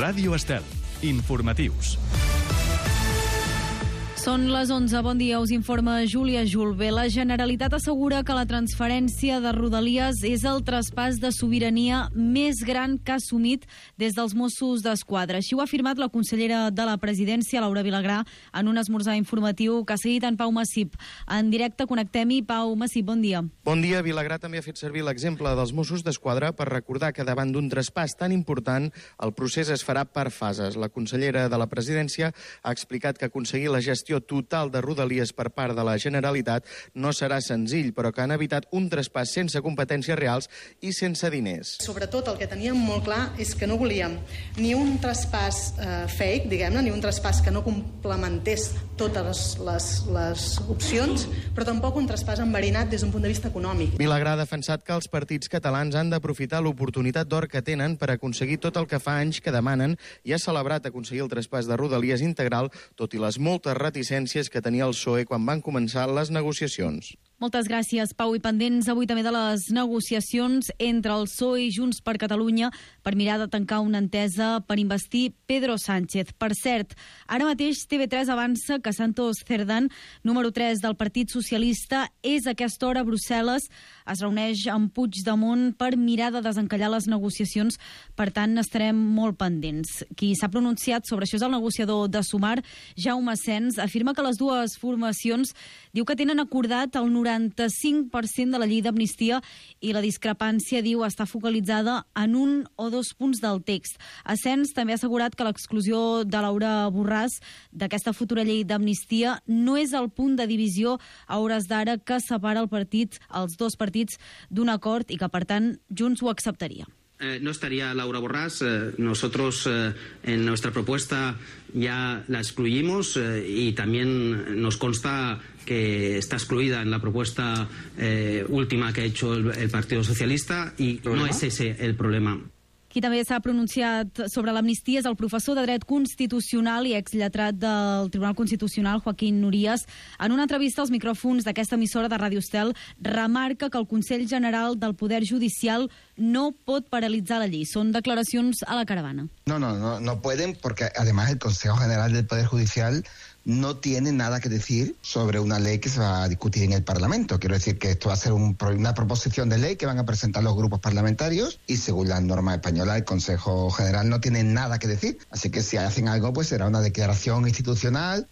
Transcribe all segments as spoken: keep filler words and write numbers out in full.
Ràdio Estel. Informatius. Són les onze. Bon dia, us informa Júlia Julve. La Generalitat assegura que la transferència de Rodalies és el traspàs de sobirania més gran que ha assumit des dels Mossos d'Esquadra. Així ho ha afirmat la consellera de la Presidència, Laura Vilagrà, en un esmorzar informatiu que ha seguit en Pau Massip. En directe connectem-hi. Pau Massip, bon dia. Bon dia. Vilagrà també ha fet servir l'exemple dels Mossos d'Esquadra per recordar que davant d'un traspàs tan important el procés es farà per fases. La consellera de la Presidència ha explicat que aconseguir la gestió total de Rodalies per part de la Generalitat no serà senzill, però que han evitat un traspàs sense competències reals i sense diners. Sobretot el que teníem molt clar és que no volíem ni un traspàs eh, fake, diguem-ne, ni un traspàs que no complementés totes les, les, les opcions, però tampoc un traspàs enverinat des d'un punt de vista econòmic. Vilagrà ha defensat que els partits catalans han d'aprofitar l'oportunitat d'or que tenen per aconseguir tot el que fa anys que demanen i ha celebrat aconseguir el traspàs de Rodalies integral, tot i les moltes reticències que tenia el P S O E quan van començar les negociacions. Moltes gràcies, Pau. I pendents avui també de les negociacions entre el P S O E i Junts per Catalunya per mirar de tancar una entesa per investir Pedro Sánchez. Per cert, ara mateix T V tres avança que Santos Cerdán, número tres del Partit Socialista, és a aquesta hora a Brussel·les. Es reuneix amb Puigdemont per mirar de desencallar les negociacions. Per tant, estarem molt pendents. Qui s'ha pronunciat sobre això és el negociador de Sumar, Jaume Sens. Afirma que les dues formacions diu que tenen acordat el noranta-cinc per cent de la llei d'amnistia i la discrepància, diu, està focalitzada en un o dos punts del text. Asens també ha assegurat que l'exclusió de Laura Borràs d'aquesta futura llei d'amnistia no és el punt de divisió a hores d'ara que separa el partit, els dos partits d'un acord i que, per tant, Junts ho acceptaria. Eh, no estaría Laura Borràs. Eh, nosotros eh, en nuestra propuesta ya la excluimos eh, y también nos consta que está excluida en la propuesta eh, última que ha hecho el, el Partido Socialista y ¿problema? No es ese el problema. Qui també s'ha pronunciat sobre l'amnistia és el professor de Dret Constitucional i exlletrat del Tribunal Constitucional, Joaquín Nurías. En una entrevista als micròfons d'aquesta emissora de Ràdio Estel, remarca que el Consell General del Poder Judicial no pot paralitzar la llei. Són declaracions a la Caravana. No, no, no, no pueden, porque además el Consejo General del Poder Judicial no tiene nada que decir sobre una ley que se va a discutir en el Parlamento. Quiero decir que esto va a ser un, una proposición de ley que van a presentar los grupos parlamentarios y según las normas españolas el Consejo General no tiene nada que decir. Así que si hacen algo pues será una declaración institucional.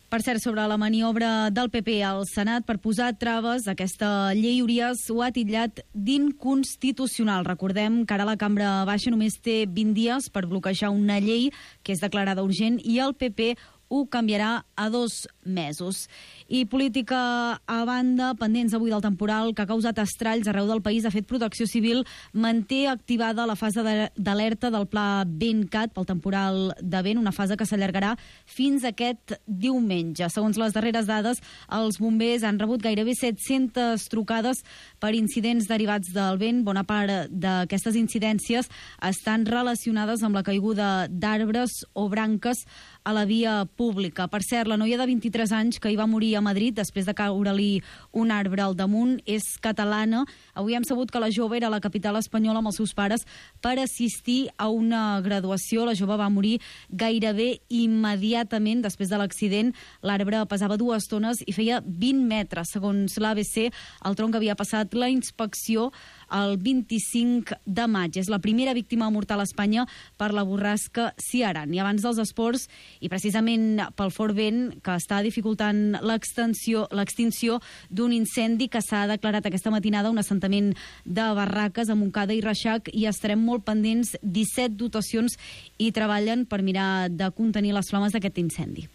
Per cert, sobre la maniobra del P P al Senat per posar traves a aquesta llei, Urías ho ha titllat d'inconstitucional. Recordem que ara la Cambra Baixa només té vint dies per bloquejar una llei que és declarada urgent i el P P ho canviarà a dos mesos. I política a banda, pendents avui del temporal que ha causat estralls arreu del país, ha fet Protecció Civil manté activada la fase d'alerta del pla VentCat pel temporal de vent, una fase que s'allargarà fins aquest diumenge. Segons les darreres dades, els bombers han rebut gairebé set-centes trucades per incidents derivats del vent. Bona part d'aquestes incidències estan relacionades amb la caiguda d'arbres o branques a la via pública. Per cert, la noia de vint-i-tres anys que hi va morir a Madrid després de caure-li un arbre al damunt és catalana. Avui hem sabut que la jove era a la capital espanyola amb els seus pares per assistir a una graduació. La jove va morir gairebé immediatament després de l'accident. L'arbre pesava dues tones i feia vint metres. Segons l'A B C, el tronc havia passat la inspecció el vint-i-cinc de maig. És la primera víctima mortal a Espanya per la borrasca Ciaran. I abans dels esports, i precisament pel fort vent que està dificultant l'extinció d'un incendi que s'ha declarat aquesta matinada a un assentament de barraques a Montcada i Reixac, i estarem molt pendents. disset dotacions i treballen per mirar de contenir les flames d'aquest incendi.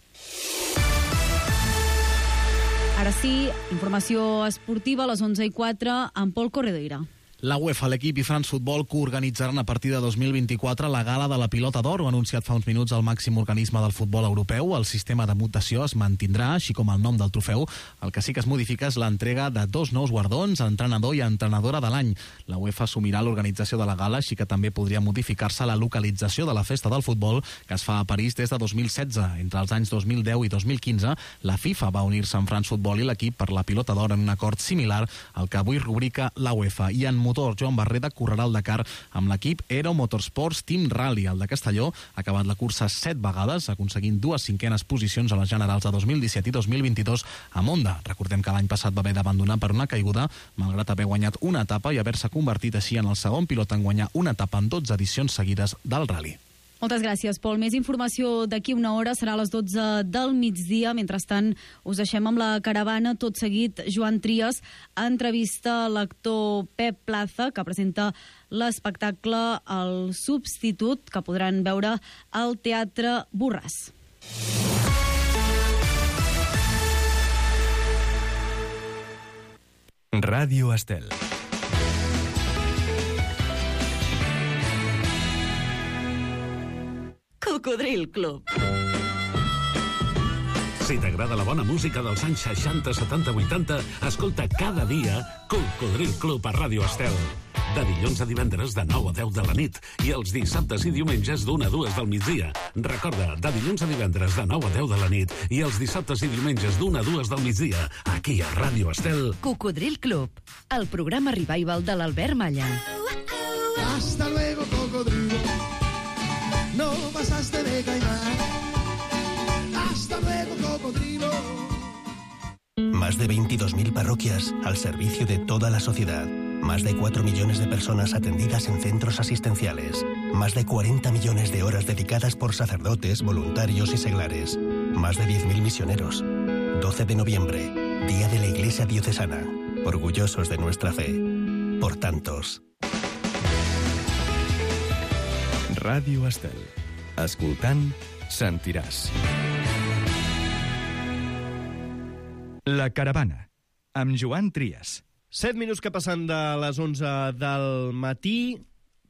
Ara sí, informació esportiva a les onze i quatre amb Pol Corredoira. La UEFA, l'equip i France Football coorganitzaran a partir de dos mil vint-i-quatre la gala de la Pilota d'Or. Ho ha anunciat fa uns minuts el màxim organisme del futbol europeu. El sistema de mutació es mantindrà, així com el nom del trofeu. El que sí que es modifica és l'entrega de dos nous guardons, entrenador i entrenadora de l'any. La UEFA assumirà l'organització de la gala, així que també podria modificar-se la localització de la festa del futbol, que es fa a París des de dos mil setze. Entre els anys dos mil deu i dos mil quinze, la FIFA va unir-se amb France Football i l'equip per la Pilota d'Or en un acord similar al que avui rubrica la UEFA. I en promotor Joan Barreda correrà el Dakar amb l'equip Aero Motorsports Team Rally. El de Castelló ha acabat la cursa set vegades, aconseguint dues cinquenes posicions a les generals de dos mil disset i dos mil vint-i-dos a Monda. Recordem que l'any passat va haver d'abandonar per una caiguda, malgrat haver guanyat una etapa i haver-se convertit així en el segon pilot en guanyar una etapa en dotze edicions seguides del rally. Moltes gràcies, Pol. Més informació d'aquí una hora, serà a les dotze del migdia. Mentrestant, us deixem amb la caravana. Tot seguit, Joan Trias entrevista l'actor Pep Plaza, que presenta l'espectacle El Substitut, que podran veure al Teatre Borràs. Ràdio Estel. Cocodril Club. Si t'agrada la bona música dels anys seixanta, setanta, vuitanta, escolta cada dia Cocodril Club a Ràdio Estel. De dilluns a divendres de nou a deu de la nit i els dissabtes i diumenges d'una a dues del migdia. Recorda, de dilluns a divendres de nou a deu de la nit i els dissabtes i diumenges d'una a dues del migdia, aquí a Ràdio Estel. Cocodril Club, el programa revival de l'Albert Malla. Hasta luego, cocodrilo. No pasaste de caimán. Hasta luego, cocodrilo. Más de veintidós mil parroquias al servicio de toda la sociedad. Más de cuatro millones de personas atendidas en centros asistenciales. Más de cuarenta millones de horas dedicadas por sacerdotes, voluntarios y seglares. Más de diez mil misioneros. doce de noviembre, Día de la Iglesia Diocesana. Orgullosos de nuestra fe. Por tantos. Ràdio Estel. Escoltant, sentiràs. La caravana, amb Joan Trias. Set minuts que passen de les onze del matí.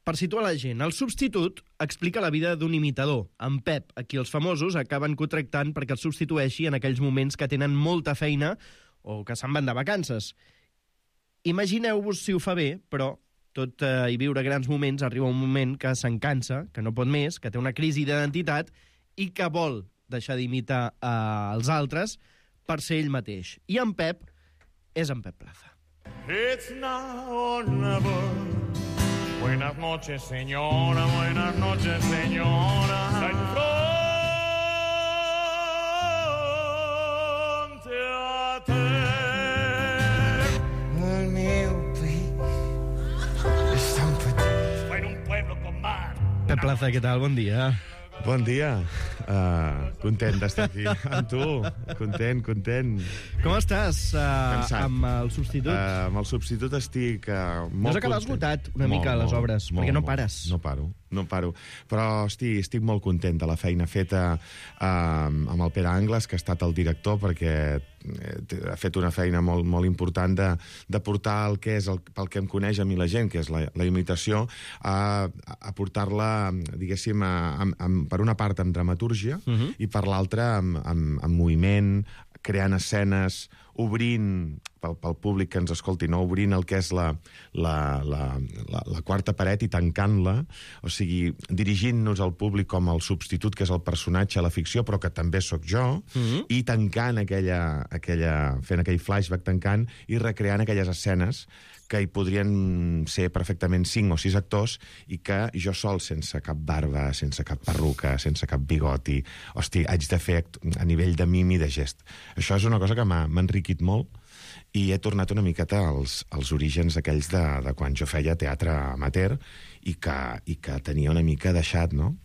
Per situar la gent, El Substitut explica la vida d'un imitador, en Pep, a qui els famosos acaben contractant perquè el substitueixi en aquells moments que tenen molta feina o que se'n van de vacances. Imagineu-vos si ho fa bé, però tot eh, i viure grans moments, arriba un moment que se'n cansa, que no pot més, que té una crisi d'identitat i que vol deixar d'imitar eh, els altres per ser ell mateix. I en Pep és en Pep Plaza. It's now or never. Buenas noches, señora. Buenas noches, señora. Fronte a te. El meu pell és tan petit. Fue en un pueblo con mar. Pep Plaza, què tal? Bon dia. Bon dia. Uh, content d'estar aquí amb tu. Content, content. Com estàs uh, amb El Substitut? Uh, amb El Substitut estic uh, molt no has acabat esgotat una molt, mica les molt, obres, molt, perquè no molt. pares. No paro, no paro. Però estic, estic molt content de la feina feta uh, amb el Pere Angles, que ha estat el director, perquè ha fet una feina molt, molt important de, de portar el que és el, pel que em coneix a mi la gent, que és la, la imitació, a, a portar-la, diguéssim, a, a, a, per una part amb dramatúrgia uh-huh. i per l'altra amb, amb, amb moviment, creant escenes, obrint, pel, pel públic que ens escolti, no? Obrint el que és la, la, la, la, la quarta paret i tancant-la, o sigui, dirigint-nos al públic com el substitut, que és el personatge a la ficció, però que també sóc jo, mm-hmm. i tancant aquella, aquella, fent aquell flashback tancant i recreant aquelles escenes que hi podrien ser perfectament cinc o sis actors i que jo sol, sense cap barba, sense cap perruca, sense cap bigoti, hosti, haig de fer a nivell de mim i de gest. Això és una cosa que m'ha enriquit molt i he tornat una miqueta als, als orígens aquells de, de quan jo feia teatre amateur i que, i que tenia una mica deixat, no?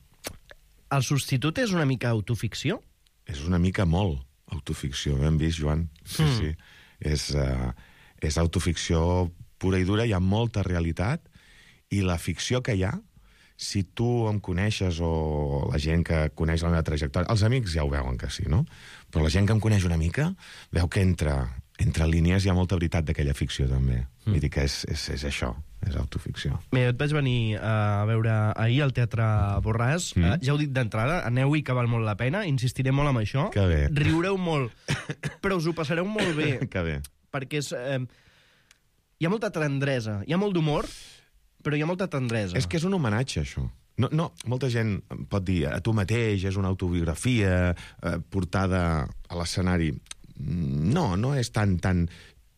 El Substitut és una mica autoficció? És una mica molt autoficció, ho hem vist, Joan. Sí, mm. sí. És, uh, és autoficció pura i dura, hi ha molta realitat, i la ficció que hi ha, si tu em coneixes o la gent que coneix la meva trajectòria, els amics ja ho veuen que sí, no? Però la gent que em coneix una mica veu que entre, entre línies hi ha molta veritat d'aquella ficció, també. Mm. Vull dir que és, és, és això, és autoficció. Bé, et vaig venir a veure ahir al Teatre Borràs. Mm. Uh, ja ho dic d'entrada, aneu-hi que val molt la pena, insistiré molt amb això. Que bé. Riureu molt, però us ho passareu molt bé. Que bé. Perquè és... Eh, hi ha molta tendresa, hi ha molt d'humor, però hi ha molta tendresa. És que és un homenatge, això. No, no, molta gent pot dir a tu mateix, és una autobiografia eh, portada a l'escenari. No, no és tan, tan...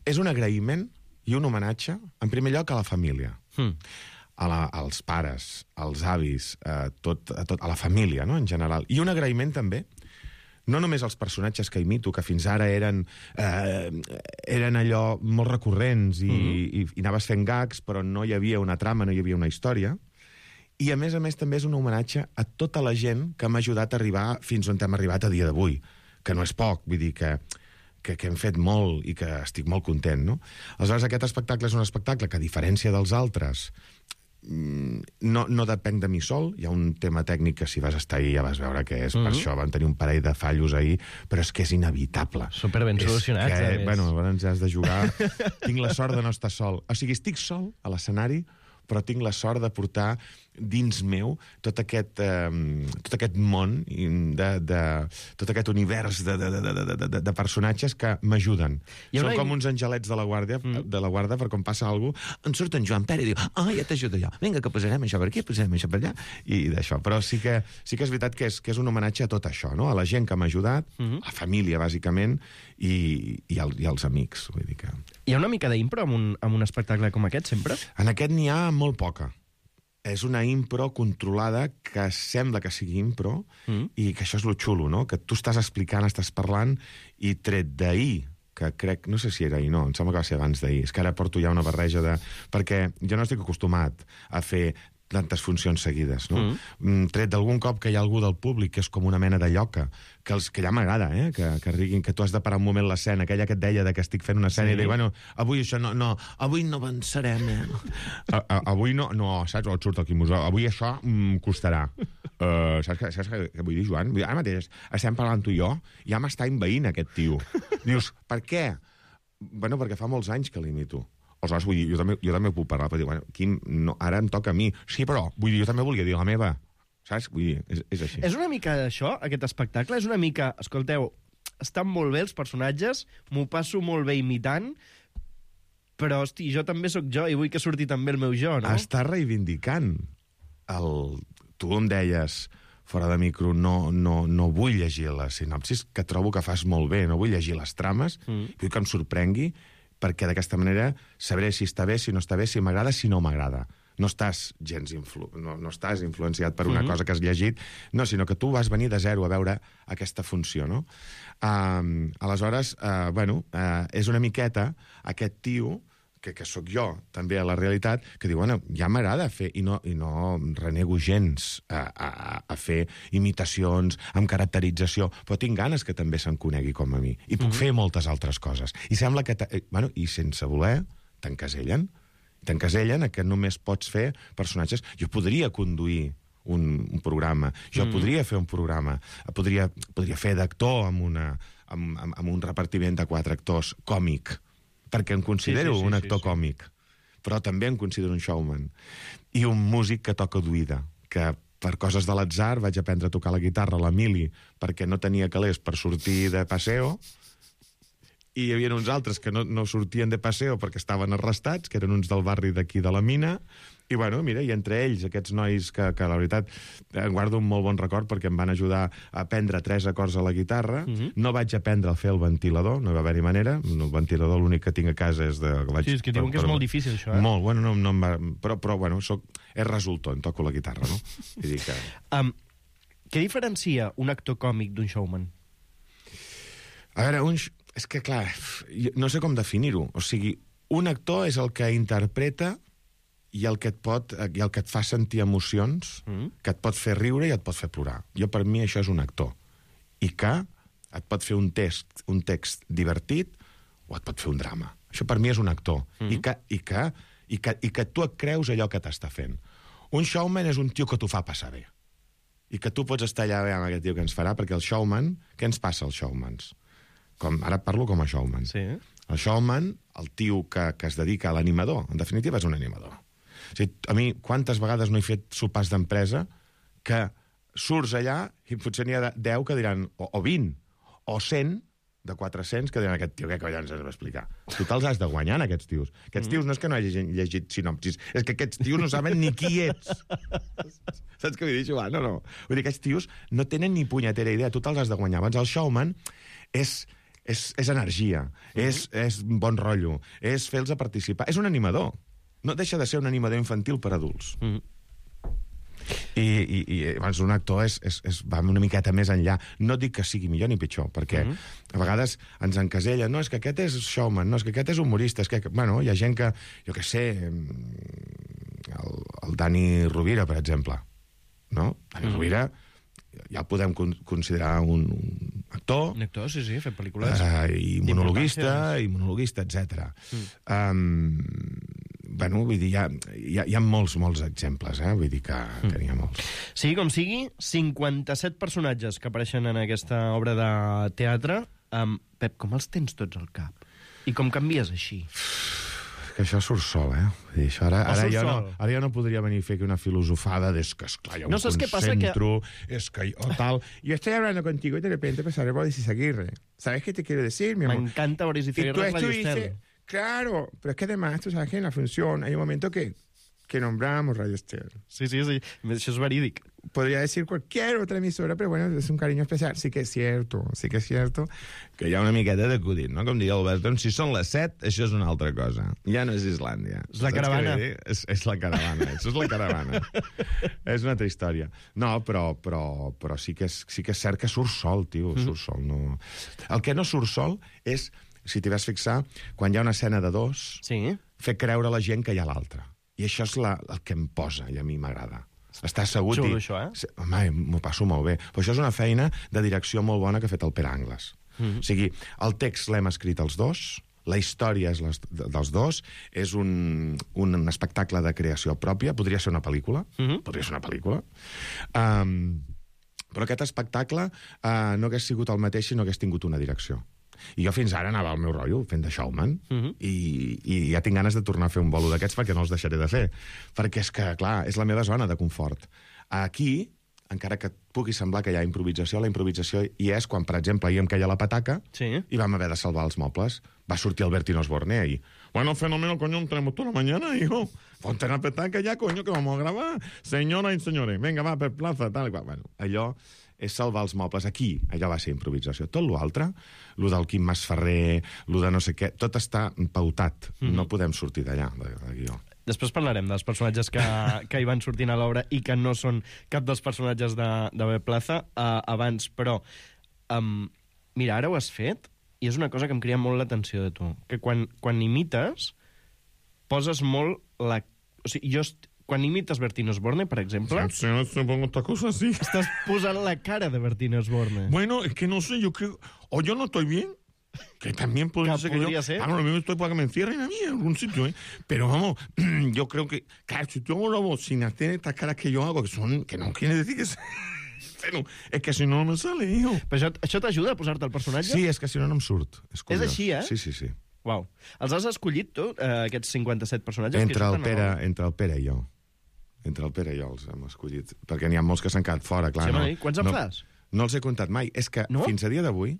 És un agraïment i un homenatge, en primer lloc, a la família. Mm. A la, als pares, als avis, a, tot, a, tot, a la família, no?, en general. I un agraïment també, no només als personatges que imito, que fins ara eren, eh, eren allò molt recurrents i, mm-hmm. i, i anaves fent gags, però no hi havia una trama, no hi havia una història. I, a més a més, també és un homenatge a tota la gent que m'ha ajudat a arribar fins on hem arribat a dia d'avui, que no és poc, vull dir que... Que, que hem fet molt i que estic molt content, no? Aleshores, aquest espectacle és un espectacle que, a diferència dels altres, no, no depèn de mi sol. Hi ha un tema tècnic que, si vas estar ahir, ja vas veure que és. Mm-hmm. Per això vam tenir un parell de fallos ahir, però és que és inevitable. Super ben solucionats, que, a més. Bueno, ens has de jugar. Tinc la sort de no estar sol. O sigui, estic sol a l'escenari, però tinc la sort de portar dins meu tot aquest, eh, tot aquest món, de, de, tot aquest univers de, de, de, de, de, de personatges que m'ajuden. Són una... com uns angelets de la guàrdia, mm. de la guarda, per quan passa alguna cosa, en surt en Joan Pere i diu, ah, ja t'ajudo jo, vinga, que posarem això per aquí, posarem això per allà, i d'això. Però sí que, sí que és veritat que és, que és un homenatge a tot això, no? A la gent que m'ha ajudat, mm-hmm. a la família, bàsicament, i, i, el, i als amics. Vull dir que... Hi ha una mica d'impro en, un, en un espectacle com aquest, sempre? En aquest n'hi ha molt poca. És una impro controlada que sembla que sigui impro mm. i que això és lo xulo, no? Que tu estàs explicant, estàs parlant, i tret d'ahir, que crec, no sé si era ahir, no, em sembla que va ser abans d'ahir, és que ara porto ja una barreja de... Perquè jo no estic acostumat a fer tantes funcions seguides, no? Mm. Tret d'algun cop que hi ha algú del públic que és com una mena de lloca, que, els, que ja m'agrada, eh? Que, que riguin, que tu has de parar un moment l'escena, aquella que et deia de que estic fent una escena, sí. I dic, bueno, avui això no, no, avui no avançarem, eh? a, a, avui no, no, saps, on surt el Quimosó, avui això mm, costarà. Uh, saps, que, saps què vull dir, Joan? Ara mateix estem parlant tu i jo, ja m'està envaint aquest tio. Dius, per què? Bueno, perquè fa molts anys que l'imito. Aleshores, vull dir, jo també, jo també puc parlar, però dir, bueno, Quim, no, ara em toca a mi. Sí, però, vull dir, jo també volia dir la meva. Saps? Vull dir, és, és així. És una mica això, aquest espectacle? És una mica, escolteu, estan molt bé els personatges, m'ho passo molt bé imitant, però, hosti, jo també sóc jo i vull que surti també el meu jo, no? Està reivindicant el... Tu em deies fora de micro, no, no, no vull llegir la sinopsis, que trobo que fas molt bé, no vull llegir les trames, mm. vull que em sorprengui, perquè d'aquesta manera sabré si està bé, si no està bé, si m'agrada, si no m'agrada. No estàs gens influ... no, no estàs influenciat per una mm-hmm. cosa que has llegit, no, sinó que tu vas venir de zero a veure aquesta funció, no? Uh, aleshores, uh, bueno, uh, és una miqueta aquest tio, que, que sóc jo, també a la realitat, que diu, bueno, ja m'agrada fer, i no, i no renego gens a, a, a fer imitacions amb caracterització, però tinc ganes que també se'n conegui com a mi. I puc mm-hmm. fer moltes altres coses. I sembla que... Bueno, i sense voler, t'encasellen. T'encasellen a que només pots fer personatges... Jo podria conduir un, un programa, jo mm. podria fer un programa, podria, podria fer d'actor amb, una, amb, amb, amb un repartiment de quatre actors còmic, perquè em considero sí, sí, sí, un actor sí, sí. còmic, però també em considero un showman. I un músic que toca d'oïda, que per coses de l'atzar vaig aprendre a tocar la guitarra a l'Emili, perquè no tenia calés per sortir de paseo, i hi havia uns altres que no, no sortien de paseo perquè estaven arrestats, que eren uns del barri d'aquí de la Mina, i bueno, mira, i entre ells, aquests nois que, que la veritat, em guardo un molt bon record perquè em van ajudar a aprendre tres acords a la guitarra, mm-hmm. no vaig aprendre a fer el ventilador, no va haver-hi manera, el ventilador l'únic que tinc a casa és de... Que vaig, sí, és que diuen per, que és per, molt difícil això, eh? Molt, bueno, no, no em va... Però, però bueno, soc, és resultor, em toco la guitarra, no? I dic que... Um, què diferencia un actor còmic d'un showman? A veure, un... És que, clar, no sé com definir-ho. O sigui, un actor és el que interpreta i el que et pot, i el que et fa sentir emocions, mm. que et pot fer riure i et pot fer plorar. Jo, per mi, això és un actor. I que et pot fer un text, un text divertit o et pot fer un drama. Això, per mi, és un actor. Mm. I, que, i, que, i, que, I que tu et creus allò que t'està fent. Un showman és un tio que t'ho fa passar bé. I que tu pots estar allà bé amb aquest tio que ens farà, perquè el showman... Què ens passa als showmans? Com, ara parlo com a showman. Sí. El showman, el tio que, que es dedica a l'animador, en definitiva és un animador. O sigui, a mi, quantes vegades no he fet sopars d'empresa que surts allà i potser n'hi ha deu que diran, o, o vint, o cent de quatre-cents que diran aquest tio, què collons has d'explicar? Tu te'ls has de guanyar, aquests tios. Aquests tios no és que no hagin llegit sinopsis, és que aquests tios no saben ni qui ets. Saps què vull dir, Joan? No, no. Vull dir, aquests tios no tenen ni punyetera idea, tu te'ls has de guanyar. Abans el showman és... és, és energia, mm-hmm. és, és bon rotllo, és fer-los participar. És un animador. No deixa de ser un animador infantil per adults. Mm-hmm. I, i, i doncs, un actor és, és, és, va una miqueta més enllà. No dic que sigui millor ni pitjor, perquè mm-hmm. a vegades ens encasella, no, és que aquest és showman, no, és que aquest és humorista, és que, bueno, hi ha gent que, jo què sé, el, el Dani Rovira, per exemple, no? Dani mm-hmm. Rovira ja el podem con considerar un, un actor. Un actor, sí, sí, fer pel·lícules. Uh, I monologuista, i monologuista, etcètera. Mm. Um, bueno, vull dir, hi ha, hi ha, hi ha molts, molts exemples, eh? Vull dir que, mm. que n'hi ha molts. Sigui com sigui, cinquanta-set personatges que apareixen en aquesta obra de teatre. Um, Pep, com els tens tots al cap? I com canvies així? Que això surt sol, eh? Vull dir, això ara, ara, jo no, ara jo no podria venir a fer una filosofada de que, esclar, jo no, em concentro, que... es que yo tal... Yo estoy hablando contigo y de repente empezaré Boris Izaguirre. ¿Sabes qué te quiero decir, mi amor? Me encanta Boris Izaguirre. Y tú estuviste... Claro, pero es que además, tú sabes que en la función hay un momento que, que nombramos Radio Estel. Sí, sí, sí, això és verídic. Podría decir cualquier otra emisora, pero bueno, es un cariño especial. Sí que es cierto, sí que es cierto que hi ha una miqueta d'acudit, no? Com diria Albert, doncs si són les set, això és una altra cosa. Ja no és Islàndia. És la caravana. És, és la caravana, això és la caravana. És una altra història. No, però, però, però sí, que és, sí que és cert que surt sol, tio, mm. surt sol. No... El que no surt sol és, si t'hi vas fixar, quan hi ha una escena de dos, sí. fer creure a la gent que hi ha l'altra. I això és la, el que em posa i a mi m'agrada. Està assegut Xulo, i... això, eh? Home, m'ho passo molt bé. Però això és una feina de direcció molt bona que ha fet el Pere Angles. Mm-hmm. O sigui, el text l'hem escrit els dos, la història és les, dels dos, és un, un espectacle de creació pròpia, podria ser una pel·lícula, mm-hmm. podria ser una pel·lícula, um, però aquest espectacle uh, no hagués sigut el mateix si no hagués tingut una direcció. I jo fins ara anava al meu rotllo, fent de showman, uh-huh. i, i ja tinc ganes de tornar a fer un bolo d'aquests perquè no els deixaré de fer. Perquè és que, clar, és la meva zona de confort. Aquí, encara que pugui semblar que hi ha improvisació, la improvisació hi és quan, per exemple, ahir em queia la pataca sí. i vam haver de salvar els mobles. Va sortir el Bertín Osborne ahí. Bueno, fenómeno, coño, tenemos toda la mañana, hijo. Ponte la petaca ya, coño, que vamos a grabar. Señora y señores, venga, va, per plaza, tal i qual. Bueno, allò és salvar els mobles. Aquí, allò va ser improvisació. Tot l'altre, lo del Quim Masferrer, lo de no sé què, tot està pautat. Mm-hmm. No podem sortir d'allà, de, de guió. Després parlarem dels personatges que, que hi van sortint a l'obra i que no són cap dels personatges de, de B. Plaza uh, abans, però um, mira, ara ho has fet i és una cosa que em crida molt l'atenció de tu, que quan, quan imites poses molt la... O sigui, jo... Quan imites Bertín Osborne, per exemple... Sí, no se pongo esta cosa así. Estás posant la cara de Bertín Osborne. Bueno, es que no sé, yo creo... O yo no estoy bien, que también podría que ser que podría yo... ser. Ah, no, lo mismo estoy para que me encierren a mí en algún sitio, ¿eh? Pero vamos, yo creo que... Claro, si tengo la voz sin hacer estas caras que yo hago, que son... Que no quiere decir que... Pero es que si no, no me sale, hijo. Però això, això t'ajuda a posar-te el personatge? Sí, és que si no, no em surt. És, és així, eh? Sí, sí, sí. Uau. Els has escollit, tu, eh, aquests cinquanta-set personatges? Entre el, Pere, entre el Pere i jo. Entre el Pere i jo els hem escollit. Perquè n'hi ha molts que s'han quedat fora, clar. Sí, no, quants en no, fas? No els he comptat mai. És que no? Fins a dia d'avui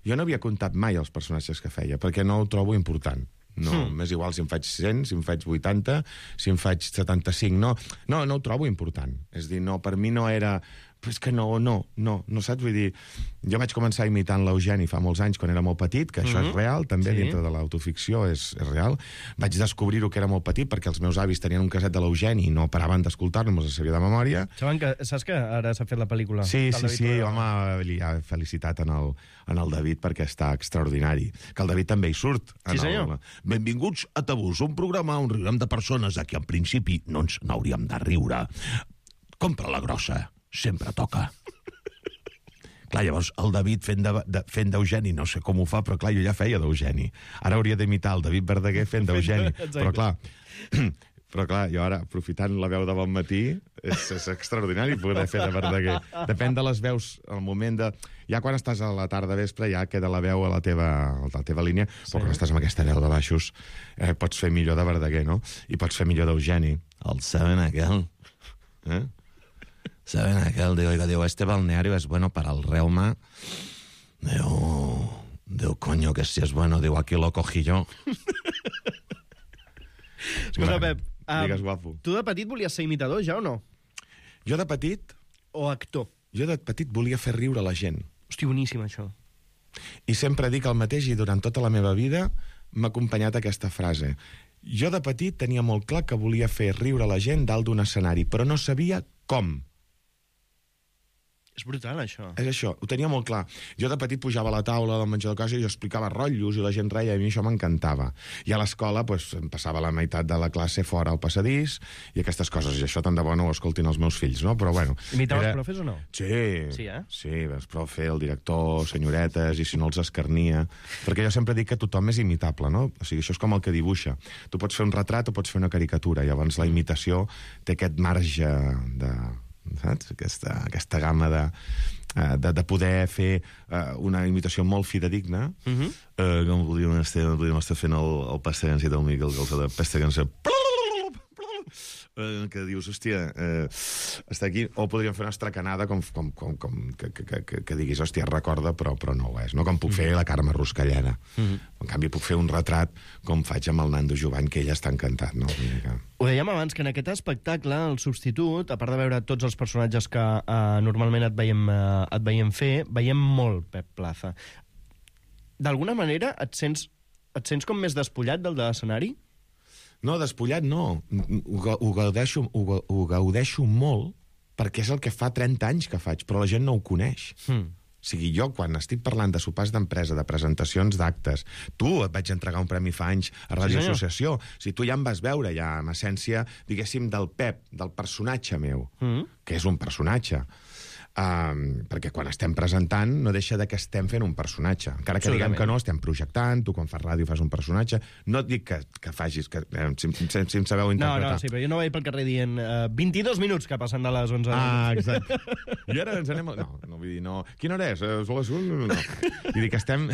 jo no havia comptat mai els personatges que feia, perquè no ho trobo important. No, hmm. m'és igual si em faig cent, si em faig vuitanta, si em faig setanta-cinc. No, no, no ho trobo important. És dir, no, per mi no era... Però és que no, no, no, no saps? Vull dir, jo vaig començar imitant l'Eugeni fa molts anys, quan era molt petit, que això mm-hmm. és real, també sí. Dintre de l'autoficció és, és real. Vaig descobrir-ho que era molt petit, perquè els meus avis tenien un caset de l'Eugeni i no paraven d'escoltar-lo, me'ls sabia de memòria. Saben que, saps que ara s'ha fet la pel·lícula? Sí, sí, sí, home, li ha felicitat en el, en el David perquè està extraordinari. Que el David també hi surt. Sí, senyor. El... Benvinguts a Tabús, un programa on riurem de persones a qui en principi no ens n'hauríem de riure. Compra la grossa. Sempre toca. Clar, llavors, el David fent de, de, fent d'Eugeni, no sé com ho fa, però clar, jo ja feia d'Eugeni. Ara hauria d'imitar el David Verdaguer fent d'Eugeni. Però clar, però clar, jo ara, aprofitant la veu de bon matí, és, és extraordinari poder fer de Verdaguer. Depèn de les veus, al moment de... Ja quan estàs a la tarda vespre ja queda la veu a la teva, a la teva línia, sí. Però quan estàs amb aquesta veu de baixos eh, pots fer millor de Verdaguer, no? I pots fer millor d'Eugeni. El saben aquel, eh? ¿Saben aquel? Digo, oiga, digo, este balneario es bueno para el reuma. Digo, digo, coño, que si es bueno, digo, aquí lo cogí yo. Escolta, Pep, um, digues, guapo. Tu de petit volies ser imitador, ja o no? Jo de petit... O actor? Jo de petit volia fer riure la gent. Hosti, boníssim, això. I sempre dic el mateix i durant tota la meva vida m'ha acompanyat aquesta frase. Jo de petit tenia molt clar que volia fer riure la gent dalt d'un escenari, però no sabia com. És brutal, això. És això, ho tenia molt clar. Jo de petit pujava a la taula del menjador de casa i jo explicava rotllos i la gent reia, i a mi això m'encantava. I a l'escola pues, em passava la meitat de la classe fora al passadís i aquestes coses, i això tant de bo no ho escoltin els meus fills, no? Però bueno... Imitaves era... profes o no? Sí, sí, eh? sí, els profe, el director, senyoretes, i si no els escarnia. Perquè jo sempre dic que tothom és imitable, no? O sigui, això és com el que dibuixa. Tu pots fer un retrat o pots fer una caricatura, llavors la imitació té aquest marge de... saps? Aquesta, aquesta gamma de, de, de poder fer uh, una imitació molt fidedigna. Uh -huh. uh, com podríem estar, podríem estar fent el, el Pestegans i del Miquel, que el de Pestegans uh, que dius, hòstia, uh, està aquí, o podríem fer una estracanada com, com, com, com que, que, que, que diguis, hòstia, recorda, però, però no ho és, no? Com puc fer la Carme Ruscalleda. Uh -huh. En canvi, puc fer un retrat com faig amb el Nando Jovany, que ella està encantat, no? Ho dèiem abans, que en aquest espectacle, el substitut, a part de veure tots els personatges que uh, normalment et veiem, uh, et veiem fer, veiem molt Pep Plaza. D'alguna manera et sents, et sents com més despullat del de l'escenari? No, despullat no. Ho, ho, gaudeixo, ho, ho gaudeixo molt perquè és el que fa trenta anys que faig, però la gent no ho coneix. Mm. O sigui, jo, quan estic parlant de sopars d'empresa, de presentacions d'actes, tu et vaig entregar un premi fa anys a Ràdio sí, Associació. O sigui, tu ja em vas veure, ja, en essència, diguéssim, del Pep, del personatge meu, mm. que és un personatge. Um, perquè quan estem presentant no deixa de que estem fent un personatge, encara que diguem que no, estem projectant, tu quan fas ràdio fas un personatge, no et dic que, que facis que, eh, si, si, si em sabeu interpretar. No, no, sí, però jo no vaig pel carrer dient uh, vint-i-dos minuts que passen de les onze. Ah, exacte. I ara ens anem... No, no vull dir, no. Quina hora és? És les un? No. Vull dir que estem,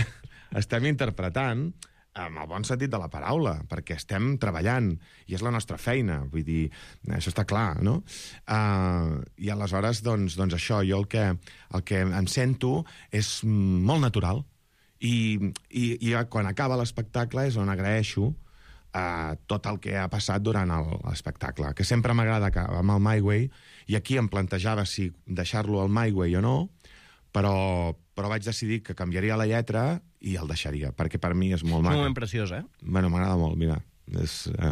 estem interpretant amb el bon sentit de la paraula, perquè estem treballant, i és la nostra feina, vull dir, això està clar, no? Uh, I aleshores, doncs, doncs això, jo el que, el que em sento és molt natural, i, i, i quan acaba l'espectacle és on agraeixo uh, tot el que ha passat durant l'espectacle, que sempre m'agrada que amb el My Way, i aquí em plantejava si deixar-lo al My Way o no, però, però vaig decidir que canviaria la lletra i el deixaria, perquè per mi és molt maco. És un moment preciós, eh? Bueno, m'agrada molt, mira. És, eh...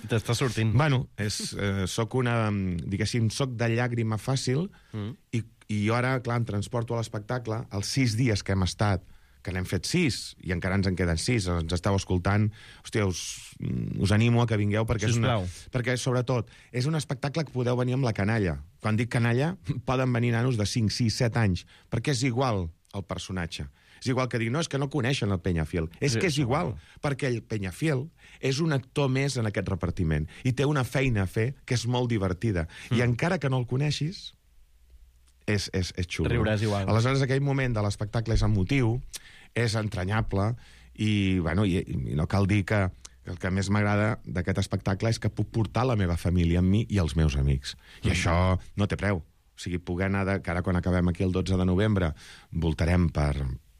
T'està sortint. Bueno, és, eh, soc una... Diguéssim, soc de llàgrima fàcil mm. i, i jo ara, clar, em transporto a l'espectacle els sis dies que hem estat, que n'hem fet sis, i encara ens en queden sis, ens esteu escoltant, hòstia, us, us animo a que vingueu, perquè, és una, perquè sobretot, és un espectacle que podeu venir amb la canalla. Quan dic canalla, poden venir nanos de cinc, sis, set anys, perquè és igual el personatge. És igual que dir, no, és que no coneixen el Peñafiel. És sí, que és igual, perquè el Peñafiel és un actor més en aquest repartiment, i té una feina a fer que és molt divertida. Mm. I encara que no el coneixis, és, és, és xulo. Riuràs igual. Aleshores, aquell moment de l'espectacle és emotiu, és entranyable, i, bueno, i, i no cal dir que el que més m'agrada d'aquest espectacle és que puc portar la meva família amb mi i els meus amics. I mm. això no té preu. O sigui, poder anar, de, que ara quan acabem aquí el dotze de novembre, voltarem per,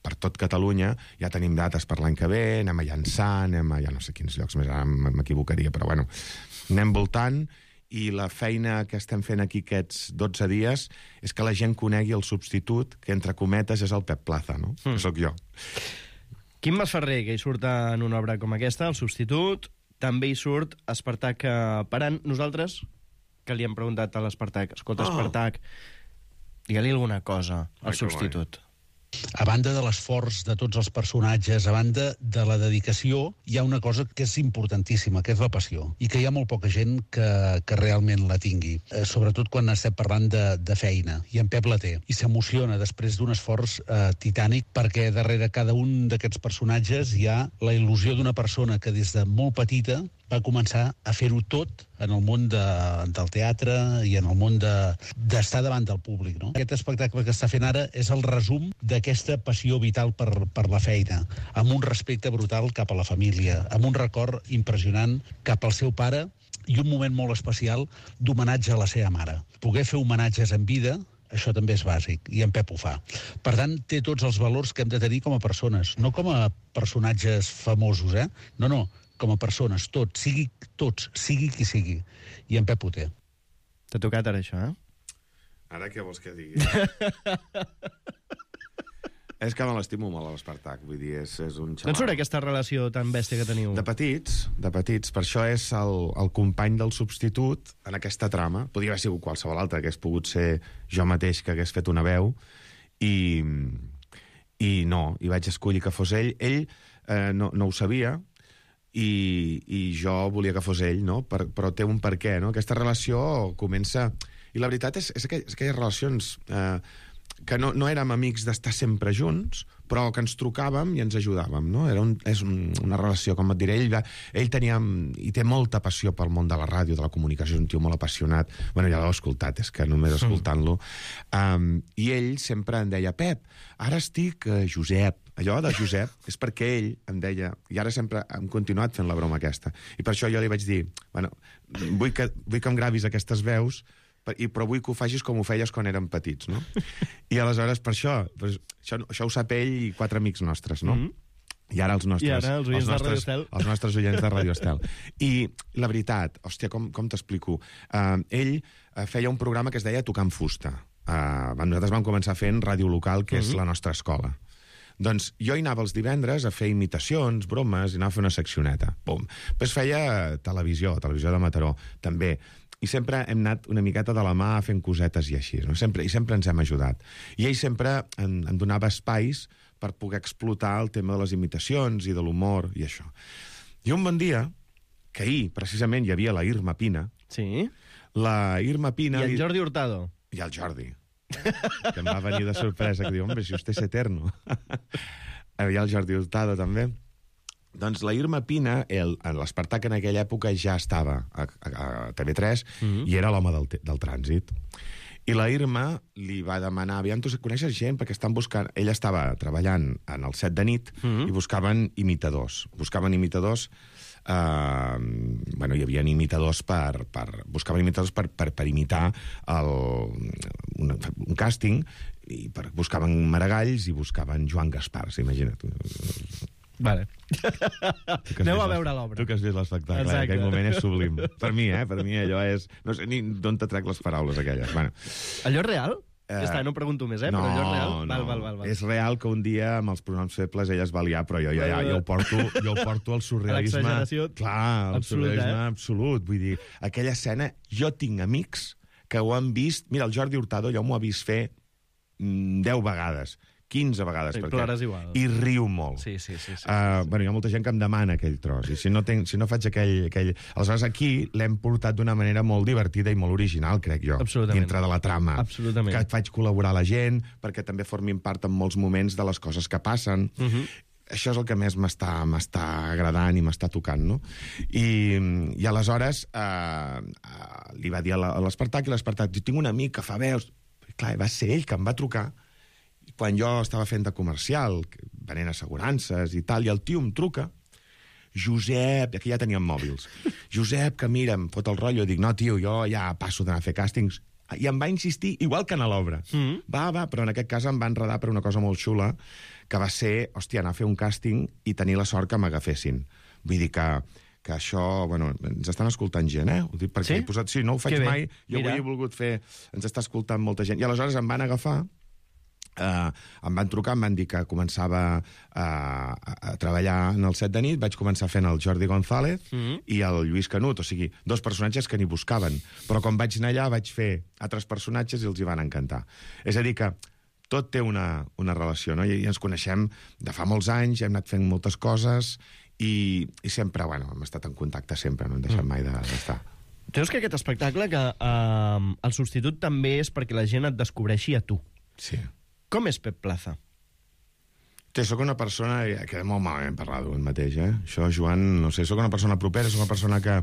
per tot Catalunya, ja tenim dates per l'any que ve, anem a llançar, anem a ja no sé quins llocs més, ara m'equivocaria, però bueno, anem voltant, i la feina que estem fent aquí aquests dotze dies és que la gent conegui el substitut, que entre cometes és el Pep Plaza, no? Mm. Que sóc jo. Quim Masferrer, que hi surt en una obra com aquesta, el substitut, també hi surt Espartac Parant. Nosaltres, que li hem preguntat a l'Espartac, escolta, oh. Espartac, digue-li alguna cosa al Ai, substitut. A banda de l'esforç de tots els personatges, a banda de la dedicació, hi ha una cosa que és importantíssima, que és la passió, i que hi ha molt poca gent que, que realment la tingui, eh, sobretot quan estem parlant de, de feina, i en Pep la té, i s'emociona després d'un esforç eh, titànic, perquè darrere cada un d'aquests personatges hi ha la il·lusió d'una persona que des de molt petita va començar a fer-ho tot en el món de, del teatre i en el món d'estar de, davant del públic. No? Aquest espectacle que està fent ara és el resum d'aquesta passió vital per, per la feina, amb un respecte brutal cap a la família, amb un record impressionant cap al seu pare i un moment molt especial d'homenatge a la seva mare. Poder fer homenatges en vida, això també és bàsic, i en Pep ho fa. Per tant, té tots els valors que hem de tenir com a persones, no com a personatges famosos, eh? No, no, com a persones, tots, sigui tots, sigui qui sigui. I en Pep ho té. T'ha tocat ara això, eh? Ara què vols que digui? És que me l'estimo molt, a l'Espartac. Vull dir, és, és un xaval... D'on surt aquesta relació tan bèstia que teniu? De petits, de petits. Per això és el, el company del substitut en aquesta trama. Podria haver sigut qualsevol altre, que hagués pogut ser jo mateix, que hagués fet una veu, i, i no, i vaig escollir que fos ell. Ell eh, no, no ho sabia, i, i jo volia que fos ell, no? Per, però té un per què, no? Aquesta relació comença... I la veritat és, és, aquell, és aquelles relacions... Eh, que no, no érem amics d'estar sempre junts, però que ens trucàvem i ens ajudàvem, no? Era un, és un, una relació, com et diré, ell, ell tenia, i té molta passió pel món de la ràdio, de la comunicació, és un tio molt apassionat. Bueno, ja l'heu escoltat, és que només escoltant-lo. Um, I ell sempre em deia, Pep, ara estic uh, Josep. Allò de Josep és perquè ell em deia, i ara sempre hem continuat fent la broma aquesta, i per això jo li vaig dir, bueno, vull que, vull que em gravis aquestes veus, I, però vull que ho facis com ho feies quan érem petits, no? I aleshores, per això, doncs, això, això ho sap ell i quatre amics nostres, no? Mm-hmm. I ara els nostres... I ara els oients els nostres, de Radio Estel. Els nostres oients de Radio Estel. I la veritat, hòstia, com, com t'explico? Uh, ell uh, feia un programa que es deia Tocant Fusta. Uh, nosaltres vam començar fent ràdio local, que mm-hmm. és la nostra escola. Doncs jo hi anava els divendres a fer imitacions, bromes, i anava a fer una seccioneta. Pum. Després feia televisió, televisió de Mataró, també. I sempre hem anat una miqueta de la mà fent cosetes i així, no? Sempre, i sempre ens hem ajudat. I ell sempre em, em donava espais per poder explotar el tema de les imitacions i de l'humor i això. I un bon dia, que ahir, precisament, hi havia la Irma Pina. Sí? La Irma Pina... I el Jordi Hurtado. I el Jordi. Que em va venir de sorpresa, que diu, hombre, si usted es eterno. Hi ha el Jordi Hurtado, també. Doncs la Irma Pina, l'Espartac en aquella època ja estava a, a, a T V tres mm-hmm. i era l'home del, del trànsit. I la Irma li va demanar, aviam, tu coneixes gent? Perquè estan buscant... Ella estava treballant en el set de nit mm-hmm. i buscaven imitadors. Buscaven imitadors... Uh, bueno, hi havia imitadors per... per buscaven imitadors per, per, per imitar el, un, un càsting, i per, buscaven Maragalls i buscaven Joan Gaspars, imagina't. Vale. Aneu a veure l'obra. Tu que has vist l'espectacle, en aquell moment és sublim. Per mi, eh? Per mi allò és... No sé ni d'on te trec les paraules aquelles. Bueno. Allò és real? Eh, ja està, no pregunto més, eh? No, però allò és real? No. Val, val, val, val. És real que un dia amb els pronoms febles ella es va liar, però jo, jo, jo, jo, ho, porto, jo ho porto al surrealisme... L'exageració clar, el absolut, surrealisme eh? absolut. Vull dir, aquella escena, jo tinc amics que ho han vist... Mira, el Jordi Hurtado ja m'ho ha vist fer mm, deu vegades. quinze vegades. Sí, perquè... plores igual. I riu molt. Sí, sí, sí. sí, uh, sí. Bueno, hi ha molta gent que em demana aquell tros, i si no, tenc, si no faig aquell... aquell... Aleshores, aquí l'hem portat d'una manera molt divertida i molt original, crec jo, dintre de la trama. Absolutament. Que faig col·laborar la gent, perquè també formin part en molts moments de les coses que passen. Uh-huh. Això és el que més m'està m'està agradant i m'està tocant, no? I, i aleshores eh, eh, li va dir a l'Espartac, i l'Espartac, tinc un amic que fa veus... Clar, va ser ell que em va trucar quan jo estava fent de comercial, venent assegurances i tal, i el tio em truca, Josep, aquí ja teníem mòbils, Josep, que mira, em fot el rotllo, dic, no, tio, jo ja passo d'anar a fer càstings, i em va insistir, igual que a l'obra. Mm. Va, va, però en aquest cas em va enredar per una cosa molt xula, que va ser, hòstia, anar a fer un càsting i tenir la sort que m'agafessin. Vull dir que que això, bueno, ens estan escoltant gent, eh? Ho dic perquè sí? he posat... Sí, no ho faig mai, jo Mira. avui he volgut fer... Ens està escoltant molta gent. I aleshores em van agafar, eh, em van trucar, em van dir que començava a, a, a treballar en el set de nit, vaig començar fent el Jordi González mm-hmm. i el Lluís Canut, o sigui, dos personatges que ni buscaven. Però quan vaig anar allà vaig fer altres personatges i els hi van encantar. És a dir que tot té una, una relació, no? I, i ens coneixem de fa molts anys, hem anat fent moltes coses... I, i sempre, bueno, hem estat en contacte sempre, no hem deixat mai d'estar. Creus que aquest espectacle, que eh, el substitut també és perquè la gent et descobreixi a tu? Sí. Com és Pep Plaza? Sí, sóc una persona... Queda molt malament parlar d'un mateix, eh? Això, Joan, no sé, sóc una persona propera, sóc una persona que,